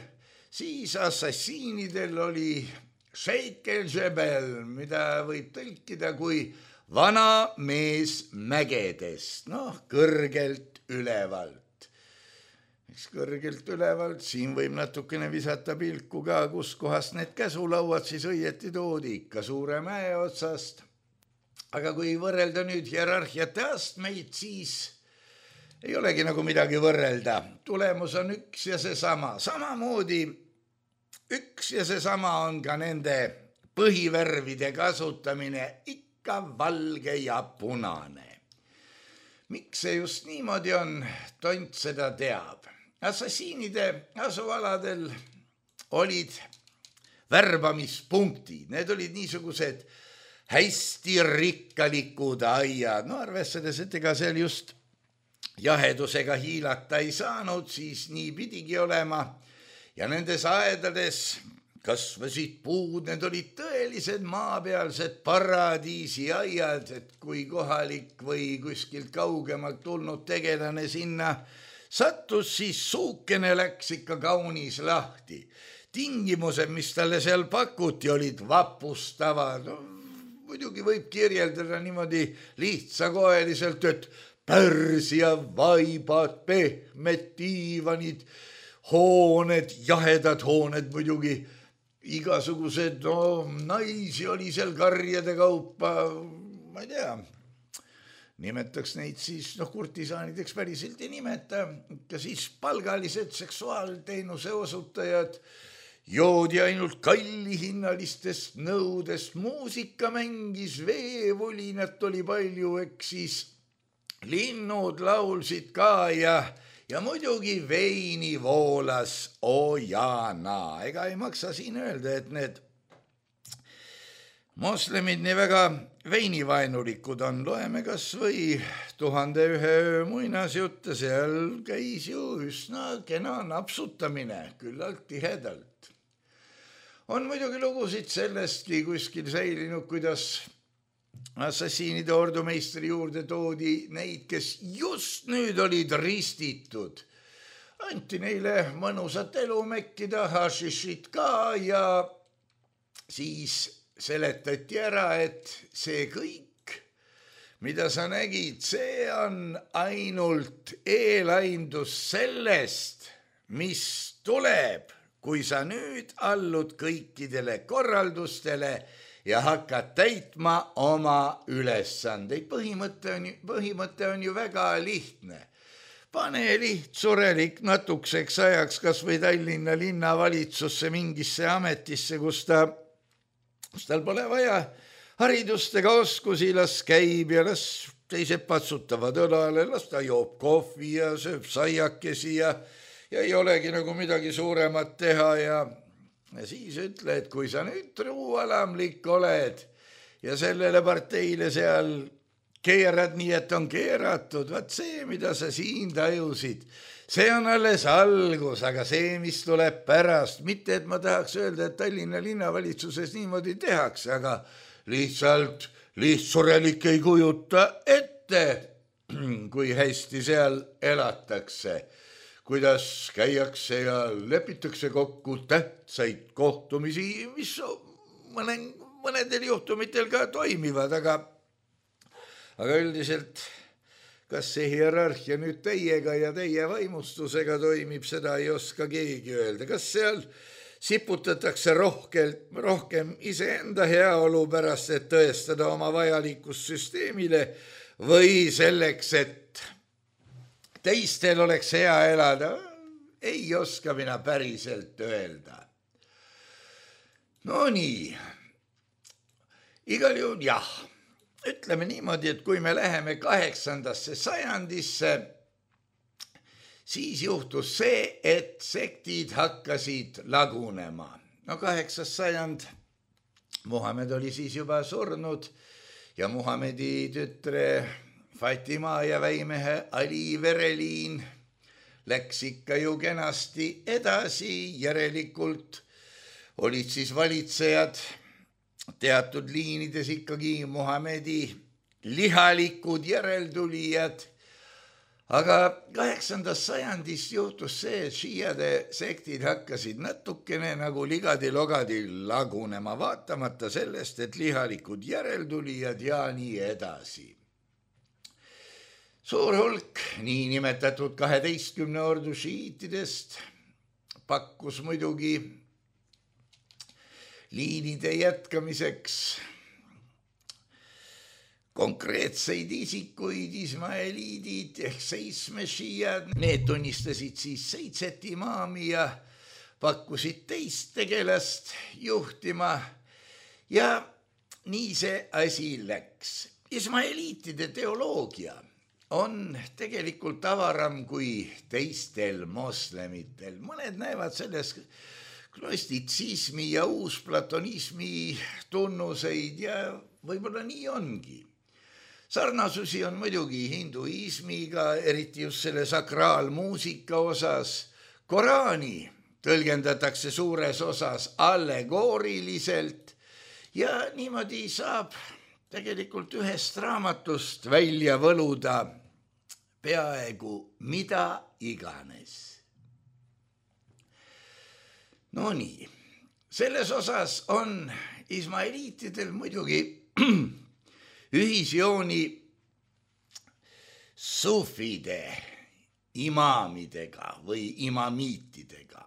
siis assassiinidel oli Sheikh el-Jebel, mida võib tõlkida kui vana mees mägedest, noh, kõrgelt ülevalt. Eks kõrgelt ülevalt, siin võib natukene visata pilku ka, kus kohast need käsulauad siis õieti toodi, ikka suure mäe otsast. Aga kui võrrelda nüüd hierarhiate astmeid, siis ei olegi nagu midagi võrrelda. Tulemus on üks ja seesama. Samamoodi üks ja seesama on ka nende põhivärvide kasutamine, ikka valge ja punane. miks see just niimoodi on, tont seda teab. Assassiinide asualadel olid värbamispunktid, need olid niisugused hästi rikkalikud aiad, no arvestades, et ega seal just jahedusega hiilata ei saanud, siis nii pidigi olema ja nendes aedades kasvasid puud, need olid tõelised maapealsed paradiisi aiad, et kui kohalik või kuskilt kaugemalt tulnud tegelane sinna sattus, siis suukene läks ikka kaunis lahti. Tingimused, mis talle seal pakuti, olid vapustavad. No, muidugi võib kirjeldada niimoodi lihtsakoeliselt, et Pärsia vaibad, pehmed diivanid, hooned, jahedad hooned muidugi, igasugused, no naisi oli seal karjade kaupa, ma ei tea, nimetaks neid siis, noh, kurtisaanideks päriselt ei nimeta, ka siis palgalised seksuaalteenuse osutajad, joodi ainult kallihinnalistest nõudest, muusika mängis, veevolinat oli palju, eks siis linnud laulsid ka ja, ja muidugi veini voolas ojana. Ega ei maksa siin öelda, et need moslemid nii väga veinivaenulikud on. Loeme kas või tuhande ühe öö muinasjutte, seal käis ju üsna kena napsutamine, küllalt tihedalt. On muidugi lugusid sellestki kuskil säilinud, kuidas assassiinide ordumeistri juurde toodi neid, kes just nüüd olid ristitud. Anti neile mõnusat elu mekkida, hašišit ka ja siis seletati ära, et see kõik, mida sa nägid, see on ainult eelaindus sellest, mis tuleb, kui sa nüüd allud kõikidele korraldustele ja hakkad täitma oma ülesandeid. Põhimõte on, põhimõte on ju väga lihtne. Pane lihtsurelik natukeseks ajaks kas või Tallinna linnavalitsusse mingisse ametisse, kus ta, kus tal pole vaja haridust ega oskusi, las käib ja las teised patsutavad õlale, las ta joob kohvi ja sööb saiakesi ja, ja ei olegi nagu midagi suuremat teha ja Ja siis ütle, et kui sa nüüd truualamlik oled ja sellele parteile seal keerad nii, et on keeratud, vaat see, mida sa siin tajusid, see on alles algus, aga see, mis tuleb pärast, mitte et ma tahaks öelda, et Tallinna linnavalitsuses niimoodi tehakse, aga lihtsalt lihtsurelik ei kujuta ette, kui hästi seal elatakse. Kuidas käiakse ja lepitakse kokku tähtsaid kohtumisi, mis mõne, mõnedel juhtumitel ka toimivad, aga, aga üldiselt, kas see hierarhia nüüd teiega ja teie vaimustusega toimib, seda ei oska keegi öelda. Kas seal siputatakse rohkem, rohkem iseenda heaolu pärast, et tõestada oma vajalikust süsteemile või selleks, et teistel oleks hea elada, ei oska mina päriselt öelda. No nii, igal juhul jah, ütleme niimoodi, et kui me läheme kaheksandasse sajandisse, siis juhtus see, et sektid hakkasid lagunema. No kaheksas sajand, Muhamed oli siis juba surnud ja Muhamedi tütre Fatima ja väimehe Ali vereliin läks ikka ju kenasti edasi, järelikult olid siis valitsejad teatud liinides ikkagi Muhamedi lihalikud järeltulijad, aga kaheksandast sajandist juhtus see, et šiiade sektid hakkasid natukene nagu ligadi-logadi lagunema, vaatamata sellest, et lihalikud järeltulijad ja nii edasi. Suur hulk niinimetatud kaheteistkümne ordu šiitidest pakkus muidugi liinide jätkamiseks konkreetseid isikuid, ismaeliidid ehk seitsme šiiad. Need tunnistasid siis seitset imaami ja pakkusid teist tegelast juhtima ja nii see asi läks. Ismaeliitide teoloogia on tegelikult avaram kui teistel moslemitel. Mõned näevad selles gnostitsismi ja uusplatonismi tunnuseid ja võib-olla nii ongi. Sarnasusi on muidugi hinduismiga, eriti just selle sakraalmuusika osas. Koraani tõlgendatakse suures osas allegooriliselt ja niimoodi saab tegelikult ühest raamatust välja võluda peaaegu mida iganes. No nii, selles osas on ismaeliitidel muidugi ühisjooni sufide imaamidega või imamiitidega.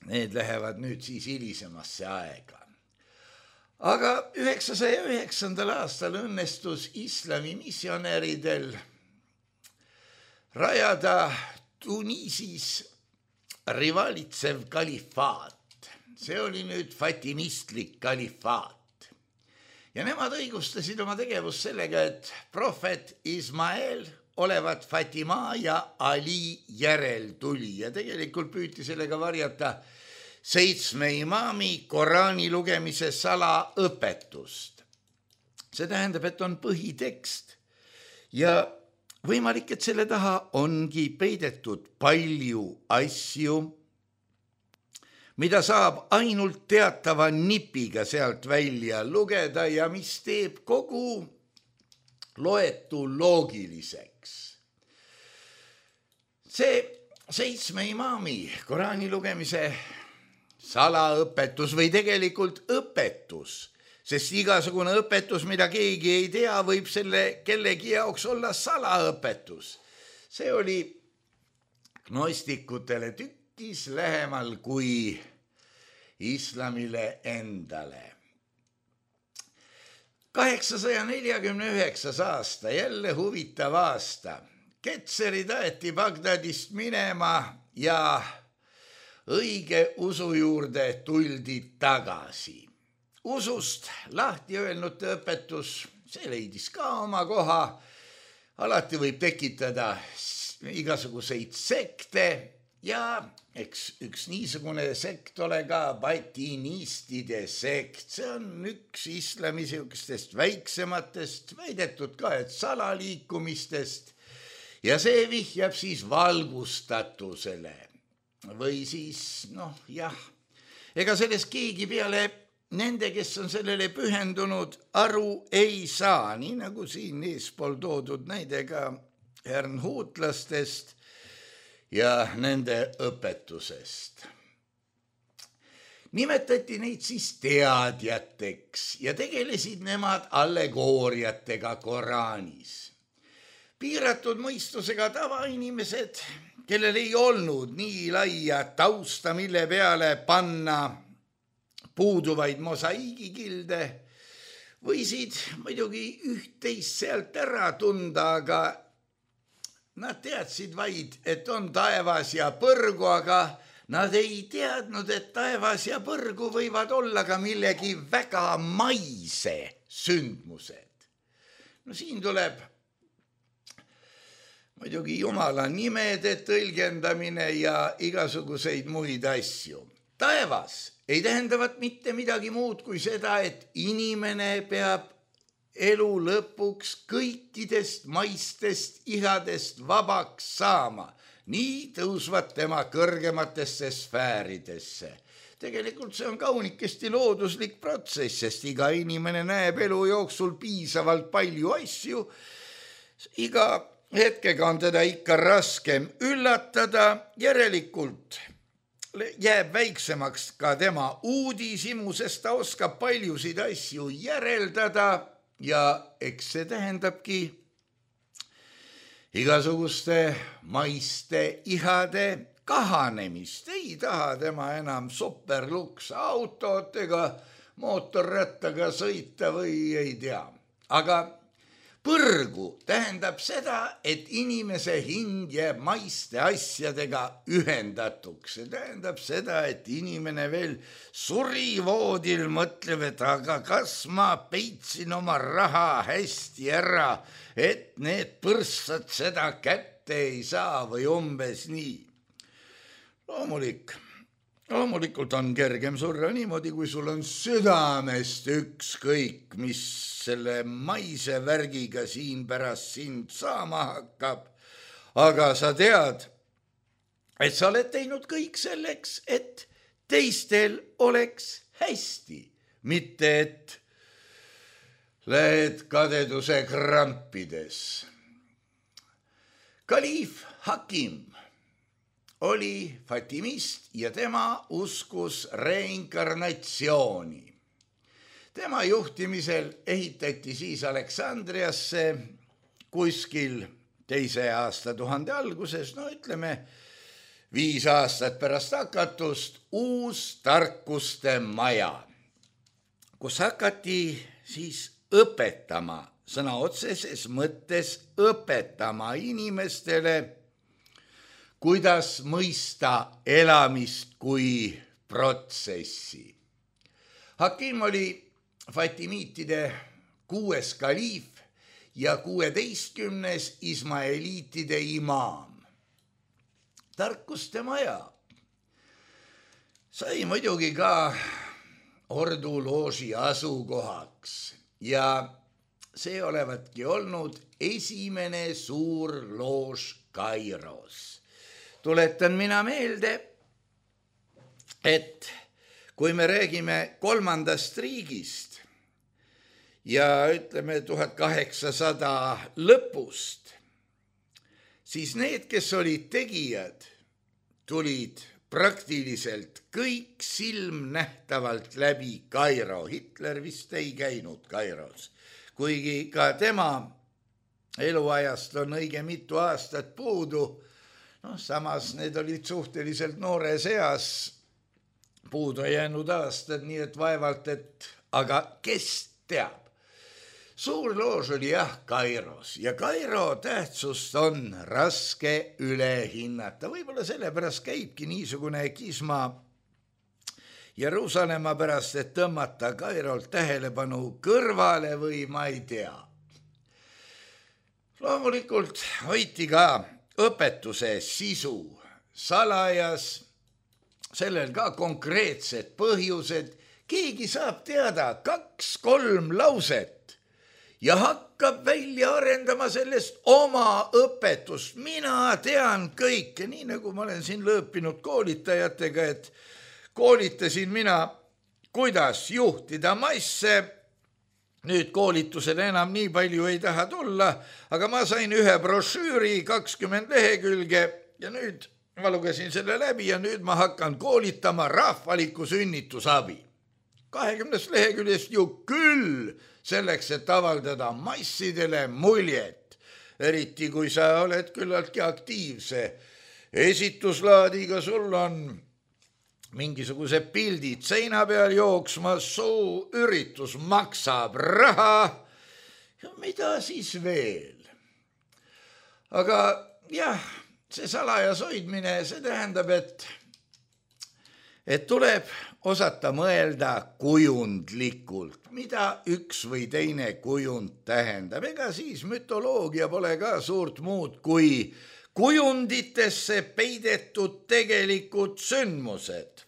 Need lähevad nüüd siis hilisemasse aega. Aga üheksasaja üheksandal aastal õnnestus islami missionäridel rajada Tuniisis rivalitsev kalifaat. See oli nüüd fatimistlik kalifaat. Ja nemad õigustasid oma tegevust sellega, et prohvet Ismael olevat Fatima ja Ali järel tuli ja tegelikult püüti sellega varjata seitsme imaami Koraani lugemise salaõpetust. See tähendab, et on põhitekst ja võimalik, et selle taha ongi peidetud palju asju, mida saab ainult teatava nipiga sealt välja lugeda ja mis teeb kogu loetu loogiliseks. See seitsme imaami Koraani lugemise salaõpetus või tegelikult õpetus, sest igasugune õpetus, mida keegi ei tea, võib selle kellegi jaoks olla salaõpetus. See oli gnostikutele tükkis lähemal kui islamile endale. kaheksasaja neljakümne üheksas aasta, jälle huvitav aasta. Ketserid aeti Bagdadist minema ja õige usu juurde tuldi tagasi. Usust lahti öelnute õpetus, see leidis ka oma koha. Alati võib tekitada igasuguseid sekte ja eks üks niisugune sekt ole ka batinistide sekt. See on üks islami siukestest väiksematest, väidetud ka, et salaliikumistest ja see vihjab siis valgustatusele. Või siis, noh jah, ega sellest keegi peale nende, kes on sellele pühendunud, aru ei saa, nii nagu siin eespool toodud näidega hernhuutlastest ja nende õpetusest. Nimetati neid siis teadjateks ja tegelesid nemad allegooriatega Koraanis. Piiratud mõistusega tavainimesed, kellel ei olnud nii laia tausta, mille peale panna puuduvaid mosaiigikilde, võisid muidugi üht-teist sealt ära tunda, aga nad teadsid vaid, et on taevas ja põrgu, aga nad ei teadnud, et taevas ja põrgu võivad olla ka millegi väga maise sündmused. No siin tuleb muidugi Jumala nimede tõlgendamine ja igasuguseid muid asju. Taevas ei tähendavat mitte midagi muud kui seda, et inimene peab elu lõpuks kõikidest maistest ihadest vabaks saama. Nii tõusvad tema kõrgematesse sfääridesse. Tegelikult see on kaunikesti looduslik protsess, sest iga inimene näeb elu jooksul piisavalt palju asju. Iga hetkega on teda ikka raskem üllatada, järelikult jääb väiksemaks ka tema uudishimu, sest ta oskab paljusid asju järeldada ja eks see tähendabki igasuguste maiste ihade kahanemist. Ei taha tema enam superluks autot ega mootorrattaga sõita või ei tea. Aga põrgu tähendab seda, et inimese hing jääb maiste asjadega ühendatuks. See tähendab seda, et inimene veel surivoodil mõtleb, et aga kas ma peitsin oma raha hästi ära, et need põrssad seda kätte ei saa või umbes nii. Loomulik, loomulikult on kergem surra niimoodi, kui sul on südamest ükskõik, mis selle maise värgiga siin pärast sind saama hakkab. Aga sa tead, et sa oled teinud kõik selleks, et teistel oleks hästi, mitte et lähed kadeduse krampides. Kaliif Hakim oli fatimist ja tema uskus reinkarnatsiooni. Tema juhtimisel ehitati siis Aleksandriasse kuskil teise aastatuhande alguses, no ütleme viis aastat pärast hakatust, uus tarkuste maja, kus hakati siis õpetama, sõna otseses mõttes õpetama inimestele, kuidas mõista elamist kui protsessi. Hakim oli fatimiitide kuues kaliif ja kuueteistkümnes ismaeliitide imaam. Tarkuste maja sai muidugi ka ordulooži asukohaks ja see olevatki olnud esimene suur loož Kairos. Tuletan mina meelde, et kui me räägime kolmandast riigist ja ütleme tuhat kaheksasada lõpust, siis need, kes olid tegijad, tulid praktiliselt kõik silmnähtavalt läbi Kairo. Hitler vist ei käinud Kairos, kuigi ka tema eluajast on õige mitu aastat puudu. No, samas need olid suhteliselt noores eas puudu jäänud aastad, nii et vaevalt, et aga kes teab. Suur loož oli jah Kairos ja Kairo tähtsust on raske üle hinnata. Võib-olla sellepärast käibki niisugune kisma Jeruusalemma pärast, et tõmmata Kairolt tähelepanu kõrvale või ma ei tea. Loomulikult hoiti ka õpetuse sisu salajas, sellel ka konkreetsed põhjused. Keegi saab teada kaks-kolm lauset ja hakkab välja arendama sellest oma õpetust. Mina tean kõike, nii nagu ma olen siin lõõpinud koolitajatega, et koolitasin mina, kuidas juhtida masse. Nüüd koolitusele enam nii palju ei taha tulla, aga ma sain ühe brošüüri kakskümmend lehekülge ja nüüd ma lugesin selle läbi ja nüüd ma hakkan koolitama rahvaliku sünnitusabi. kahekümnest leheküljest ju küll selleks, et avaldada massidele muljet, eriti kui sa oled küllaltki aktiivse esituslaadiga, sul on mingisugused pildid seina peal jooksma, suu üritus maksab raha ja mida siis veel. Aga jah, see salajas hoidmine, see tähendab, et, et tuleb osata mõelda kujundlikult, mida üks või teine kujund tähendab. Ega siis mütoloogia pole ka suurt muud kui kujunditesse peidetud tegelikud sündmused,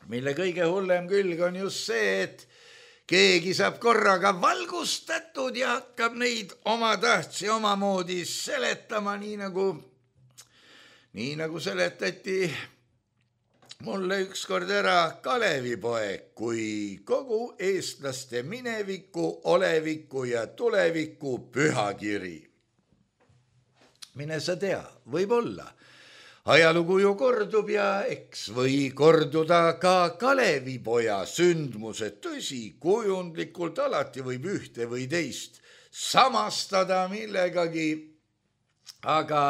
mille kõige hullem külg on just see, et keegi saab korraga valgustatud ja hakkab neid oma tahtsi omamoodi seletama, nii nagu, nii nagu seletati mulle ükskord ära Kalevipoeg kui kogu eestlaste mineviku, oleviku ja tuleviku pühakiri. Mine sa tea, võib olla. Ajalugu ju kordub ja eks või korduda ka Kalevipoja sündmused. Tõsi, kujundlikult alati võib ühte või teist samastada millegagi, aga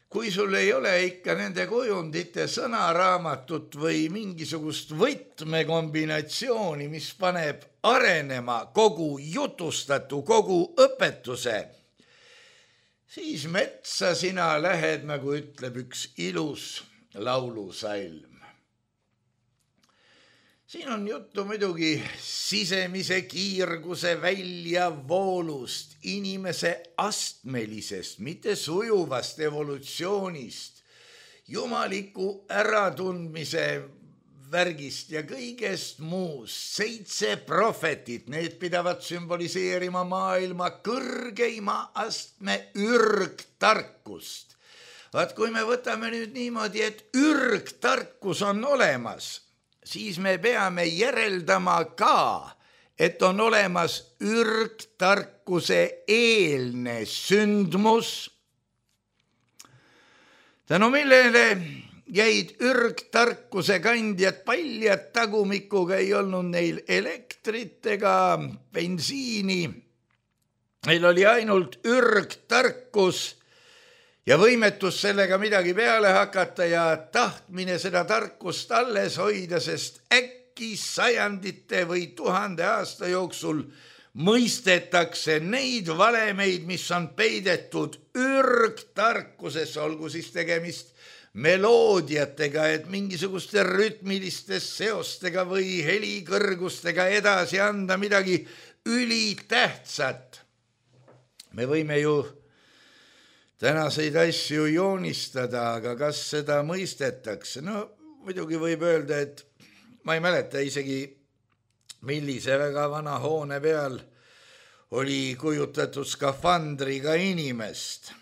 kui sul ei ole ikka nende kujundite sõnaraamatut või mingisugust võtmekombinatsiooni, mis paneb arenema kogu jutustatu, kogu õpetuse, siis metsa sina lähed, nagu ütleb üks ilus laulusalm. Siin on juttu muidugi sisemise kiirguse väljavoolust, inimese astmelisest, mitte sujuvast evolutsioonist, jumaliku äratundmise värgist ja kõigest muust. Seitse prohvetit, need pidavad sümboliseerima maailma kõrgeima astme ürgtarkust. Vaat kui me võtame nüüd niimoodi, et ürgtarkus on olemas, siis me peame järeldama ka, et on olemas ürgtarkuse eelne sündmus, tänu millele jäid ürgtarkuse kandjad paljad tagumikuga, ei olnud neil elektrit ega bensiini. Neil oli ainult ürgtarkus ja võimetus sellega midagi peale hakata ja tahtmine seda tarkust alles hoida, sest äkki sajandite või tuhande aasta jooksul mõistetakse neid valemeid, mis on peidetud ürgtarkuses, olgu siis tegemist meloodiatega, et mingisuguste rütmiliste seostega või helikõrgustega edasi anda midagi ülitähtsat. Me võime ju tänaseid asju joonistada, aga kas seda mõistetakse? No muidugi võib öelda, et ma ei mäleta isegi, millise väga vana hoone peal oli kujutatud skafandriga inimest.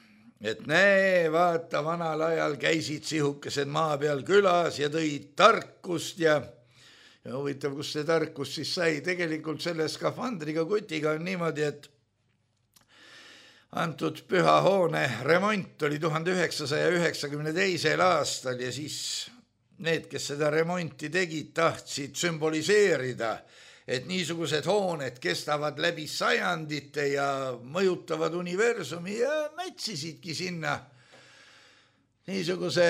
Et näe, vaata, vanal ajal käisid sihukesed maa peal külas ja tõid tarkust ja, ja huvitav, kus see tarkus siis sai. Tegelikult selle skafandriga kutiga on niimoodi, et antud püha hoone remont oli tuhande üheksasaja üheksakümne teisel aastal ja siis need, kes seda remonti tegid, tahtsid sümboliseerida, et niisugused hooned kestavad läbi sajandite ja mõjutavad universumi ja mätsisidki sinna niisuguse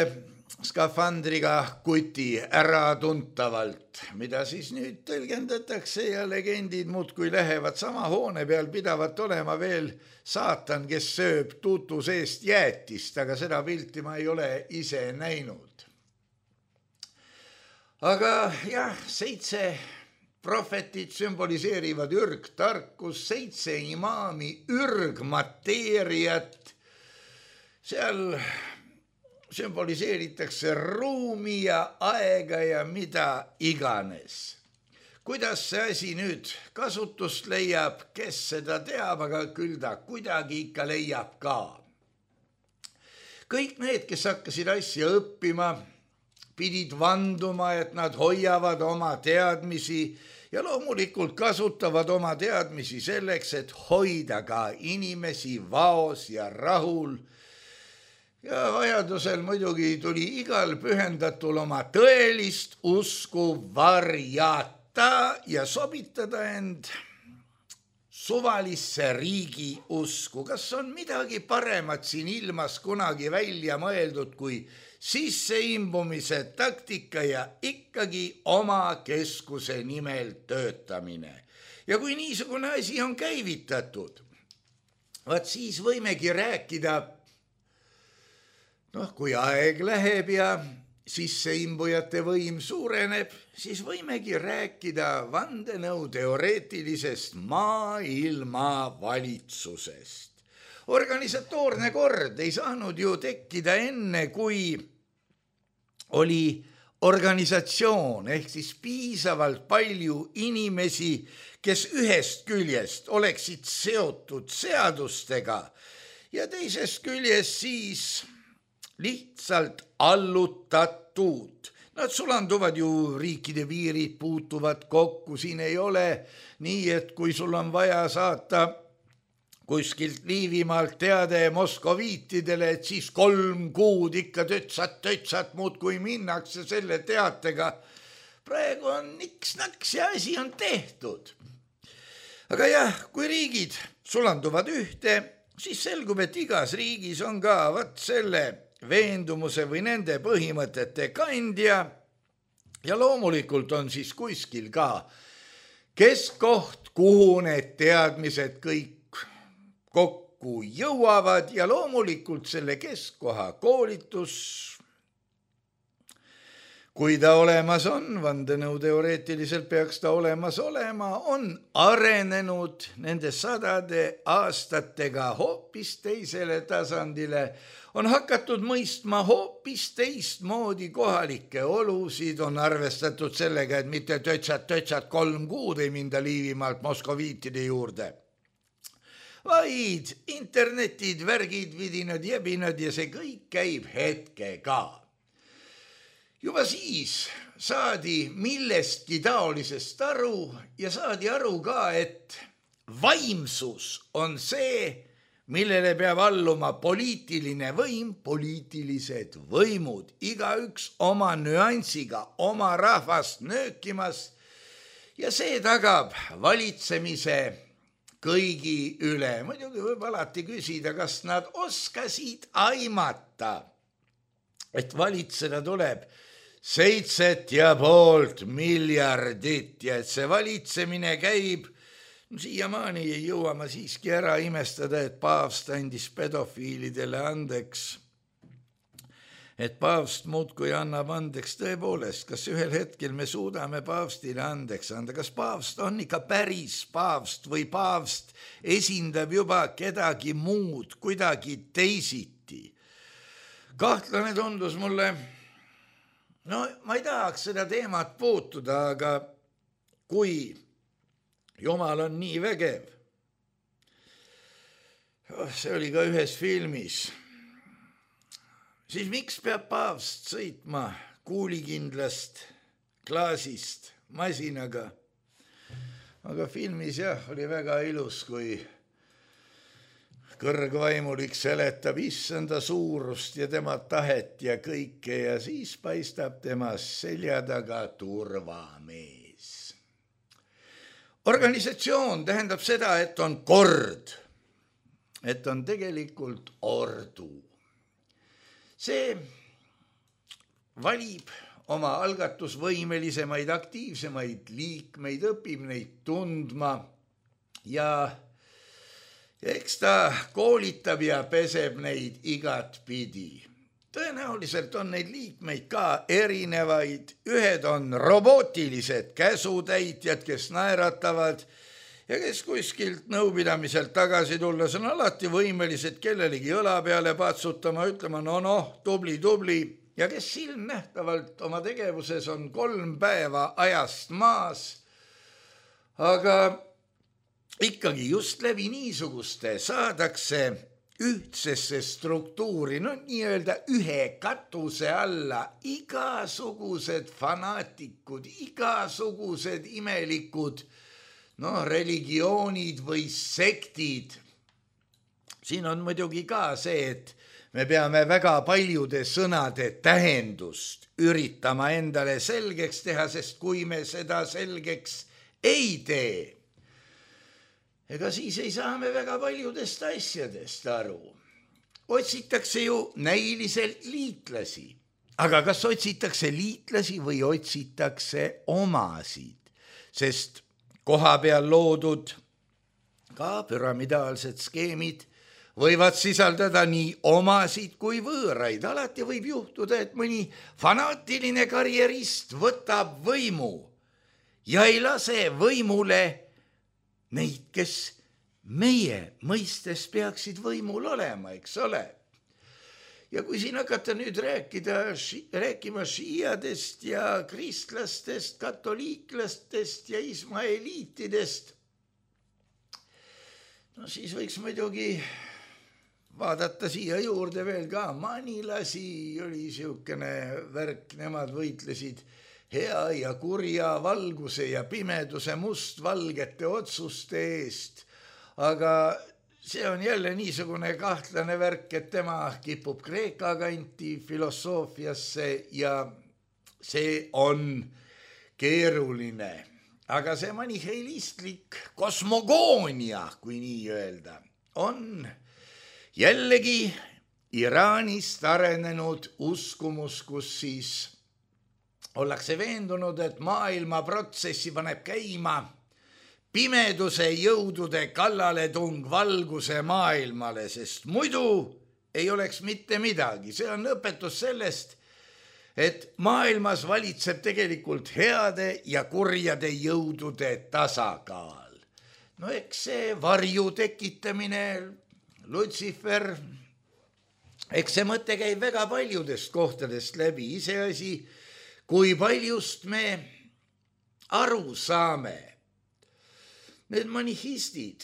skafandriga kuti äratuntavalt, mida siis nüüd tõlgendatakse ja legendid muudkui lähevad. Sama hoone peal pidavat olema veel saatan, kes sööb tuutu seest jäätist, aga seda pilti ma ei ole ise näinud. Aga jah, seitse prohvetit sümboliseerivad ürgtarkus, seitse imaami ürgmateeriat, seal sümboliseeritakse ruumi ja aega ja mida iganes. Kuidas see asi nüüd kasutust leiab, kes seda teab, aga küll ta kuidagi ikka leiab ka. Kõik need, kes hakkasid asja õppima, pidid vanduma, et nad hoiavad oma teadmisi ja loomulikult kasutavad oma teadmisi selleks, et hoida ka inimesi vaos ja rahul. Ja vajadusel muidugi tuli igal pühendatul oma tõelist usku varjata ja sobitada end suvalisse riigi usku. Kas on midagi paremat siin ilmas kunagi välja mõeldud kui sisseimbumise taktika ja ikkagi oma keskuse nimel töötamine? Ja kui niisugune asi on käivitatud, vaat siis võimegi rääkida, noh, kui aeg läheb ja sisseimbujate võim suureneb, siis võimegi rääkida vandenõu teoreetilisest maailma valitsusest. Organisatoorne kord ei saanud ju tekkida enne, kui oli organisatsioon ehk siis piisavalt palju inimesi, kes ühest küljest oleksid seotud seadustega ja teisest küljest siis lihtsalt allutatud. Nad sulanduvad ju, riikide piirid puutuvad kokku, siin ei ole nii, et kui sul on vaja saata kuskilt Liivimaalt teade moskoviitidele, et siis kolm kuud ikka tötsat-tötsat muud kui minnakse selle teatega. Praegu on niks-naks ja asi on tehtud. Aga jah, kui riigid sulanduvad ühte, siis selgub, et igas riigis on ka vat selle veendumuse või nende põhimõtete kandja ja loomulikult on siis kuskil ka keskkoht, kuhu need teadmised kõik kokku jõuavad ja loomulikult selle keskkoha koolitus, kui ta olemas on, vandenõuteoreetiliselt peaks ta olemas olema, on arenenud nende sadade aastatega hoopis teisele tasandile, on hakatud mõistma hoopis teistmoodi kohalikke olusid, on arvestatud sellega, et mitte tötsad-tötsad kolm kuud ei minda Liivimaalt moskoviitide juurde, vaid internetid, värgid, vidinad, jebinad ja see kõik käib hetkega. Juba siis saadi millestki taolisest aru ja saadi aru ka, et vaimsus on see, millele peab alluma poliitiline võim, poliitilised võimud, igaüks oma nüansiga, oma rahvast nöökimas ja see tagab valitsemise kõigi üle. Muidugi võib alati küsida, kas nad oskasid aimata, et valitseda tuleb seitset ja poolt miljardit ja et see valitsemine käib. Siiamaani ei jõua ma siiski ära imestada, et paavst andis pedofiilidele andeks. Et paavst muudkui annab andeks tõepoolest, kas ühel hetkel me suudame paavstile andeks anda, kas paavst on ikka päris paavst või paavst esindab juba kedagi muud, kuidagi teisiti. Kahtlane tundus mulle, no ma ei tahaks seda teemat puutuda, aga kui Jumal on nii vägev. See oli ka ühes filmis. Siis miks peab paavst sõitma kuulikindlast klaasist masinaga? Aga filmis jah, oli väga ilus, kui kõrgvaimulik seletab issanda suurust ja tema tahet ja kõike ja siis paistab tema selja taga turvamees. Organisatsioon tähendab seda, et on kord, et on tegelikult ordu. See valib oma algatusvõimelisemaid, aktiivsemaid liikmeid, õpib neid tundma ja eks ta koolitab ja peseb neid igat pidi. Tõenäoliselt on neid liikmeid ka erinevaid, ühed on robootilised käsutäitjad, kes naeratavad ja kes kuskilt nõupidamiselt tagasi tulles on alati võimelised kellelegi õla peale patsutama, ütlema no noh, tubli, tubli ja kes silmnähtavalt oma tegevuses on kolm päeva ajast maas, aga ikkagi just läbi niisuguste saadakse ühtsesse struktuuri, no nii-öelda ühe katuse alla igasugused fanaatikud, igasugused imelikud, no religioonid või sektid. Siin on muidugi ka see, et me peame väga paljude sõnade tähendust üritama endale selgeks teha, sest kui me seda selgeks ei tee, ega siis ei saa me väga paljudest asjadest aru. Otsitakse ju näiliselt liitlasi, aga kas otsitakse liitlasi või otsitakse omasid, sest koha peal loodud ka püramidaalsed skeemid võivad sisaldada nii omasid kui võõraid. Alati võib juhtuda, et mõni fanaatiline karjerist võtab võimu ja ei lase võimule neid, kes meie mõistes peaksid võimul olema, eks ole. Ja kui siin hakata nüüd rääkida, rääkima šiiadest ja kristlastest, katoliiklastest ja ismaeliitidest, no siis võiks muidugi vaadata siia juurde veel ka manilasi, oli siukene värk, nemad võitlesid hea ja kurja, valguse ja pimeduse mustvalgete otsuste eest, aga see on jälle niisugune kahtlane värk, et tema kipub Kreeka kanti filosoofiasse ja see on keeruline. Aga see maniheilistlik kosmogoonia, kui nii öelda, on jällegi Iraanist arenenud uskumus, kus siis ollakse veendunud, et maailma protsessi paneb käima pimeduse jõudude kallaletung valguse maailmale, sest muidu ei oleks mitte midagi. See on õpetus sellest, et maailmas valitseb tegelikult heade ja kurjade jõudude tasakaal. No eks see varju tekitamine, Lutsifer, eks see mõte käib väga paljudest kohtadest läbi. Iseasi, kui paljust me aru saame. Need manihistid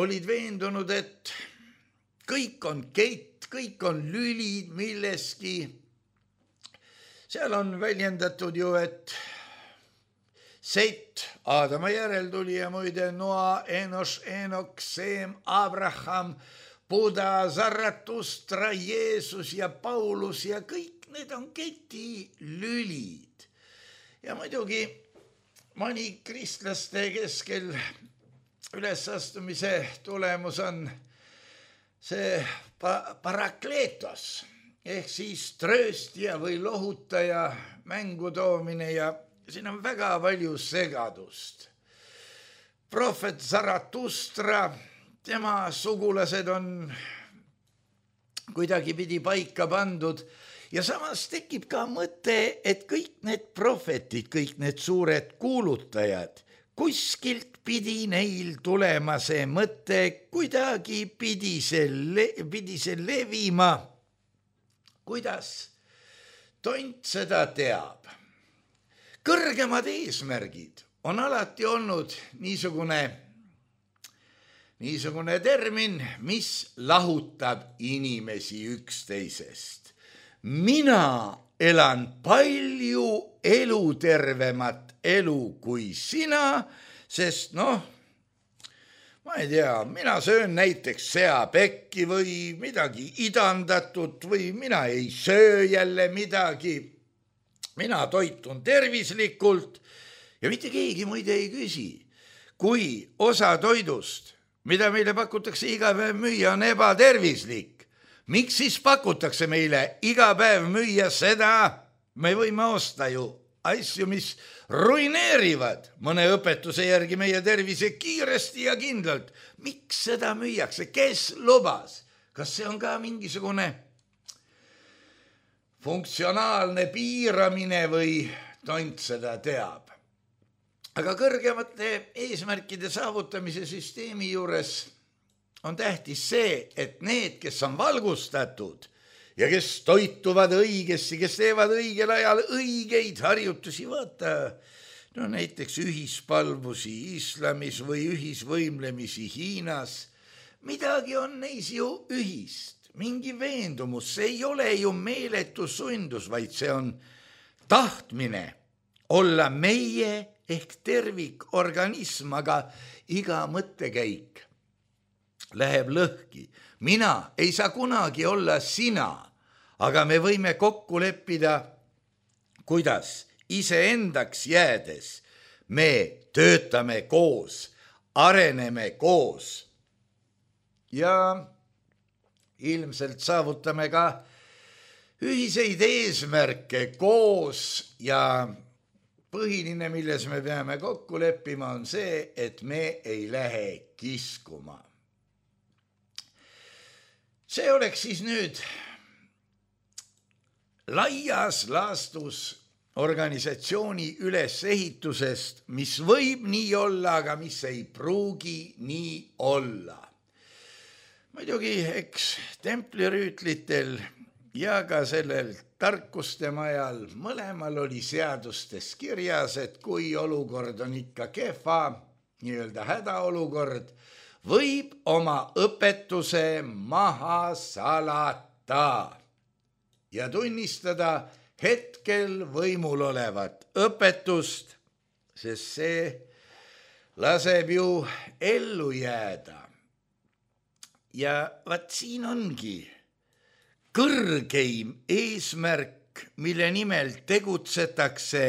olid veendunud, et kõik on kett, kõik on lülid milleski. Seal on väljendatud ju, et Seit, Aadama järeltulija, muide Noa, Enos, Enok, Seem, Abraham, Buda, Zaratustra, Jeesus ja Paulus ja kõik need on keti lülid. Ja muidugi mõni kristlaste keskel ülesastumise tulemus on see parakleetos ehk siis trööstja või lohutaja mängu toomine ja siin on väga palju segadust. Prohvet Zaratustra, tema sugulased on kuidagi pidi paika pandud ja samas tekib ka mõte, et kõik need prohvetid, kõik need suured kuulutajad, kuskilt pidi neil tulema see mõte, kuidagi pidi see, le- pidi see levima. Kuidas tont seda teab? Kõrgemad eesmärgid on alati olnud niisugune, niisugune termin, mis lahutab inimesi üksteisest. Mina elan palju elutervemat elu kui sina, sest noh, ma ei tea, mina söön näiteks seapekki või midagi idandatut või mina ei söö jälle midagi. Mina toitun tervislikult ja mitte keegi muide ei küsi, kui osa toidust, mida meile pakutakse iga päev müüa, on ebatervislik. Miks siis pakutakse meile iga päev müüa seda? Me võime osta ju asju, mis ruineerivad mõne õpetuse järgi meie tervise kiiresti ja kindlalt. Miks seda müüakse? Kes lubas? Kas see on ka mingisugune funktsionaalne piiramine või tont seda teab? Aga kõrgemate eesmärkide saavutamise süsteemi juures on tähtis see, et need, kes on valgustatud ja kes toituvad õigesti, kes teevad õigel ajal õigeid harjutusi, vaata, no näiteks ühispalvusi islamis või ühisvõimlemisi Hiinas, midagi on neis ju ühist, mingi veendumus, see ei ole ju meeletu sundus, vaid see on tahtmine olla meie ehk tervikorganism, aga iga mõttekäik läheb lõhki. Mina ei saa kunagi olla sina, aga me võime kokku leppida, kuidas iseendaks jäädes me töötame koos, areneme koos ja ilmselt saavutame ka ühiseid eesmärke koos ja põhiline, milles me peame kokku leppima, on see, et me ei lähe kiskuma. See oleks siis nüüd laias laastus organisatsiooni ülesehitusest, mis võib nii olla, aga mis ei pruugi nii olla. Muidugi, eks templirüütlitel ja ka sellel tarkuste majal mõlemal oli seadustes kirjas, et kui olukord on ikka kehva, nii-öelda hädaolukord, võib oma õpetuse maha salata ja tunnistada hetkel võimul olevat õpetust, sest see laseb ju ellu jääda. Ja vaat siin ongi kõrgeim eesmärk, mille nimel tegutsetakse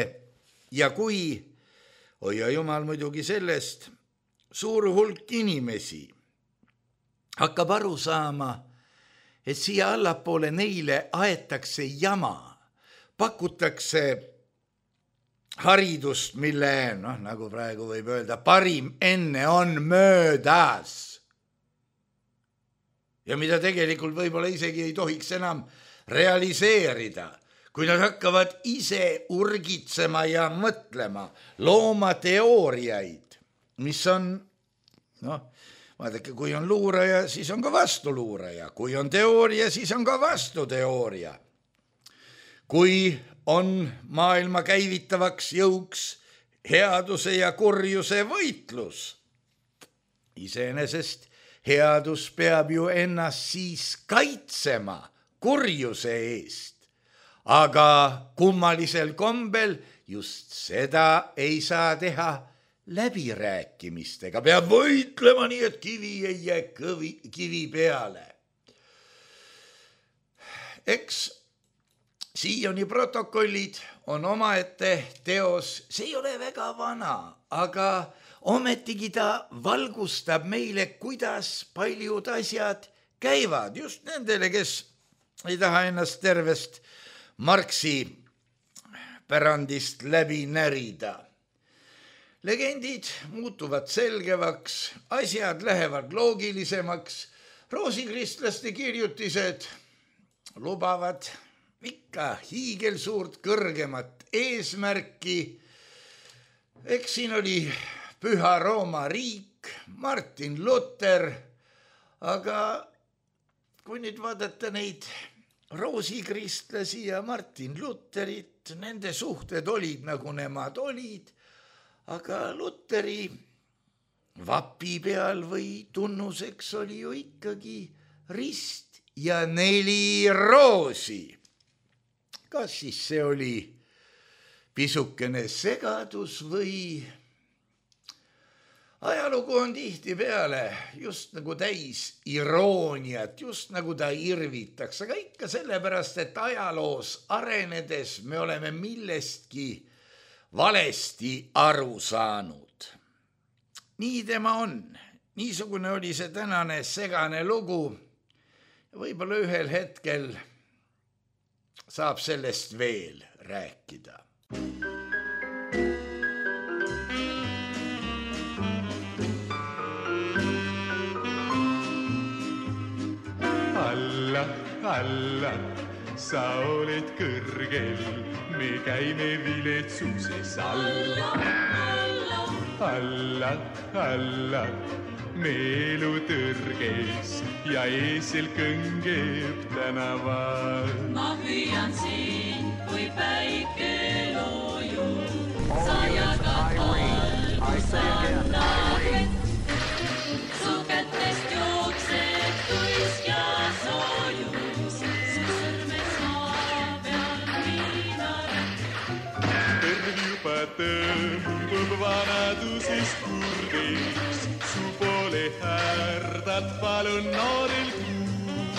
ja kui, hoia jumal muidugi sellest, suur hulk inimesi hakkab aru saama, et siia allapoole neile aetakse jama, pakutakse haridust, mille, noh, nagu praegu võib öelda, parim enne on möödas. Ja mida tegelikult võib-olla isegi ei tohiks enam realiseerida, kui nad hakkavad ise urgitsema ja mõtlema, looma teooriaid, mis on, noh, vaadake, kui on luuraja, siis on ka vastuluuraja, kui on teooria, siis on ka vastuteooria. Kui on maailma käivitavaks jõuks headuse ja kurjuse võitlus. Iseenesest headus peab ju ennast siis kaitsema kurjuse eest, aga kummalisel kombel just seda ei saa teha läbirääkimistega. Peab võitlema nii, et kivi ei jää kõvi, kivi peale. Eks siiani protokollid on omaette teos, see ei ole väga vana, aga ometigi ta valgustab meile, kuidas paljud asjad käivad, just nendele, kes ei taha ennast tervest Marxi pärandist läbi närida. Legendid muutuvad selgevaks, asjad lähevad loogilisemaks, roosikristlaste kirjutised lubavad ikka hiigelsuurt kõrgemat eesmärki. Eks siin oli Püha Rooma riik, Martin Luther, aga kui nüüd vaadata neid roosikristlasi ja Martin Lutherit, nende suhted olid nagu nemad olid, aga Lutheri vapi peal või tunnuseks oli ju ikkagi rist ja neli roosi. Kas siis see oli pisukene segadus või ajalugu on tihti peale just nagu täis irooniat, just nagu ta irvitakse, aga ikka sellepärast, et ajaloos arenedes me oleme millestki valesti aru saanud. Nii tema on, niisugune oli see tänane segane lugu ja võib-olla ühel hetkel saab sellest veel rääkida. Alla, alla, sa oled kõrgel, me käime viletsuses alla. Alla, alla, me elu tõrges ja eesel kõngeb tänaval. Ma hüüan siin, kui päike loojub, sa jagad valgus annad vett. Su kätest jookseb tuisk ja soojus, su sõrmed maa peal viinaret. Kõrv juba tõmbub vanaduses kurdeks, su poole härdad palun noorel kuul.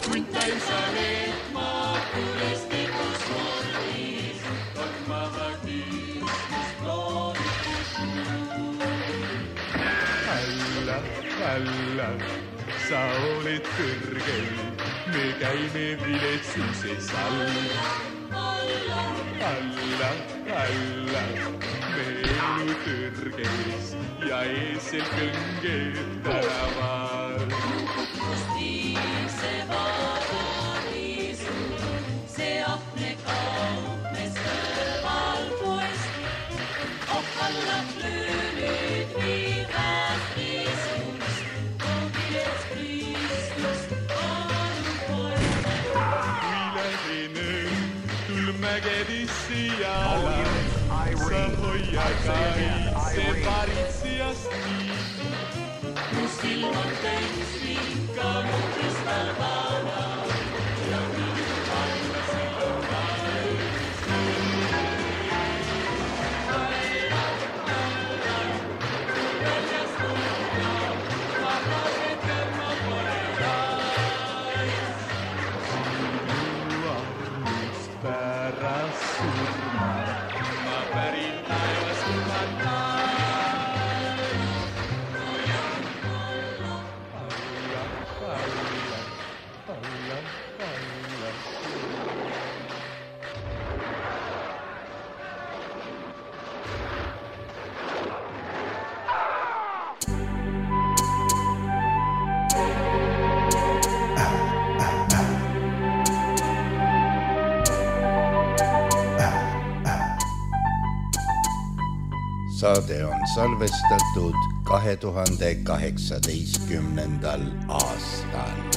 Kuntain sa leetma kuristikus vormis, tormaha kiismus loodikus kuul. Alla, alla, sa oled kõrgel, me käime viletsuses alla. Alla, alla, me elu tõrges ja eesel kõngeb tänaval. Kust viib see vaba viisu, see ahne kaupmes kõrval poest. Ohkallab löönüd viivad viisus, kogiles Kristus aru poest. Kui lähen õhtul mägedisse jala, sa hoia kaitse varitsijast nii. Kus ilmad täis vinka mu kristalvana ja viidu alla silum valmis. Väljas tunna, vabased kõrma pole rais. Sinu pärast surma, ma pärin taevas kumat naas. saade on salvestatud kahe tuhande kaheksateistkümnendal aastal.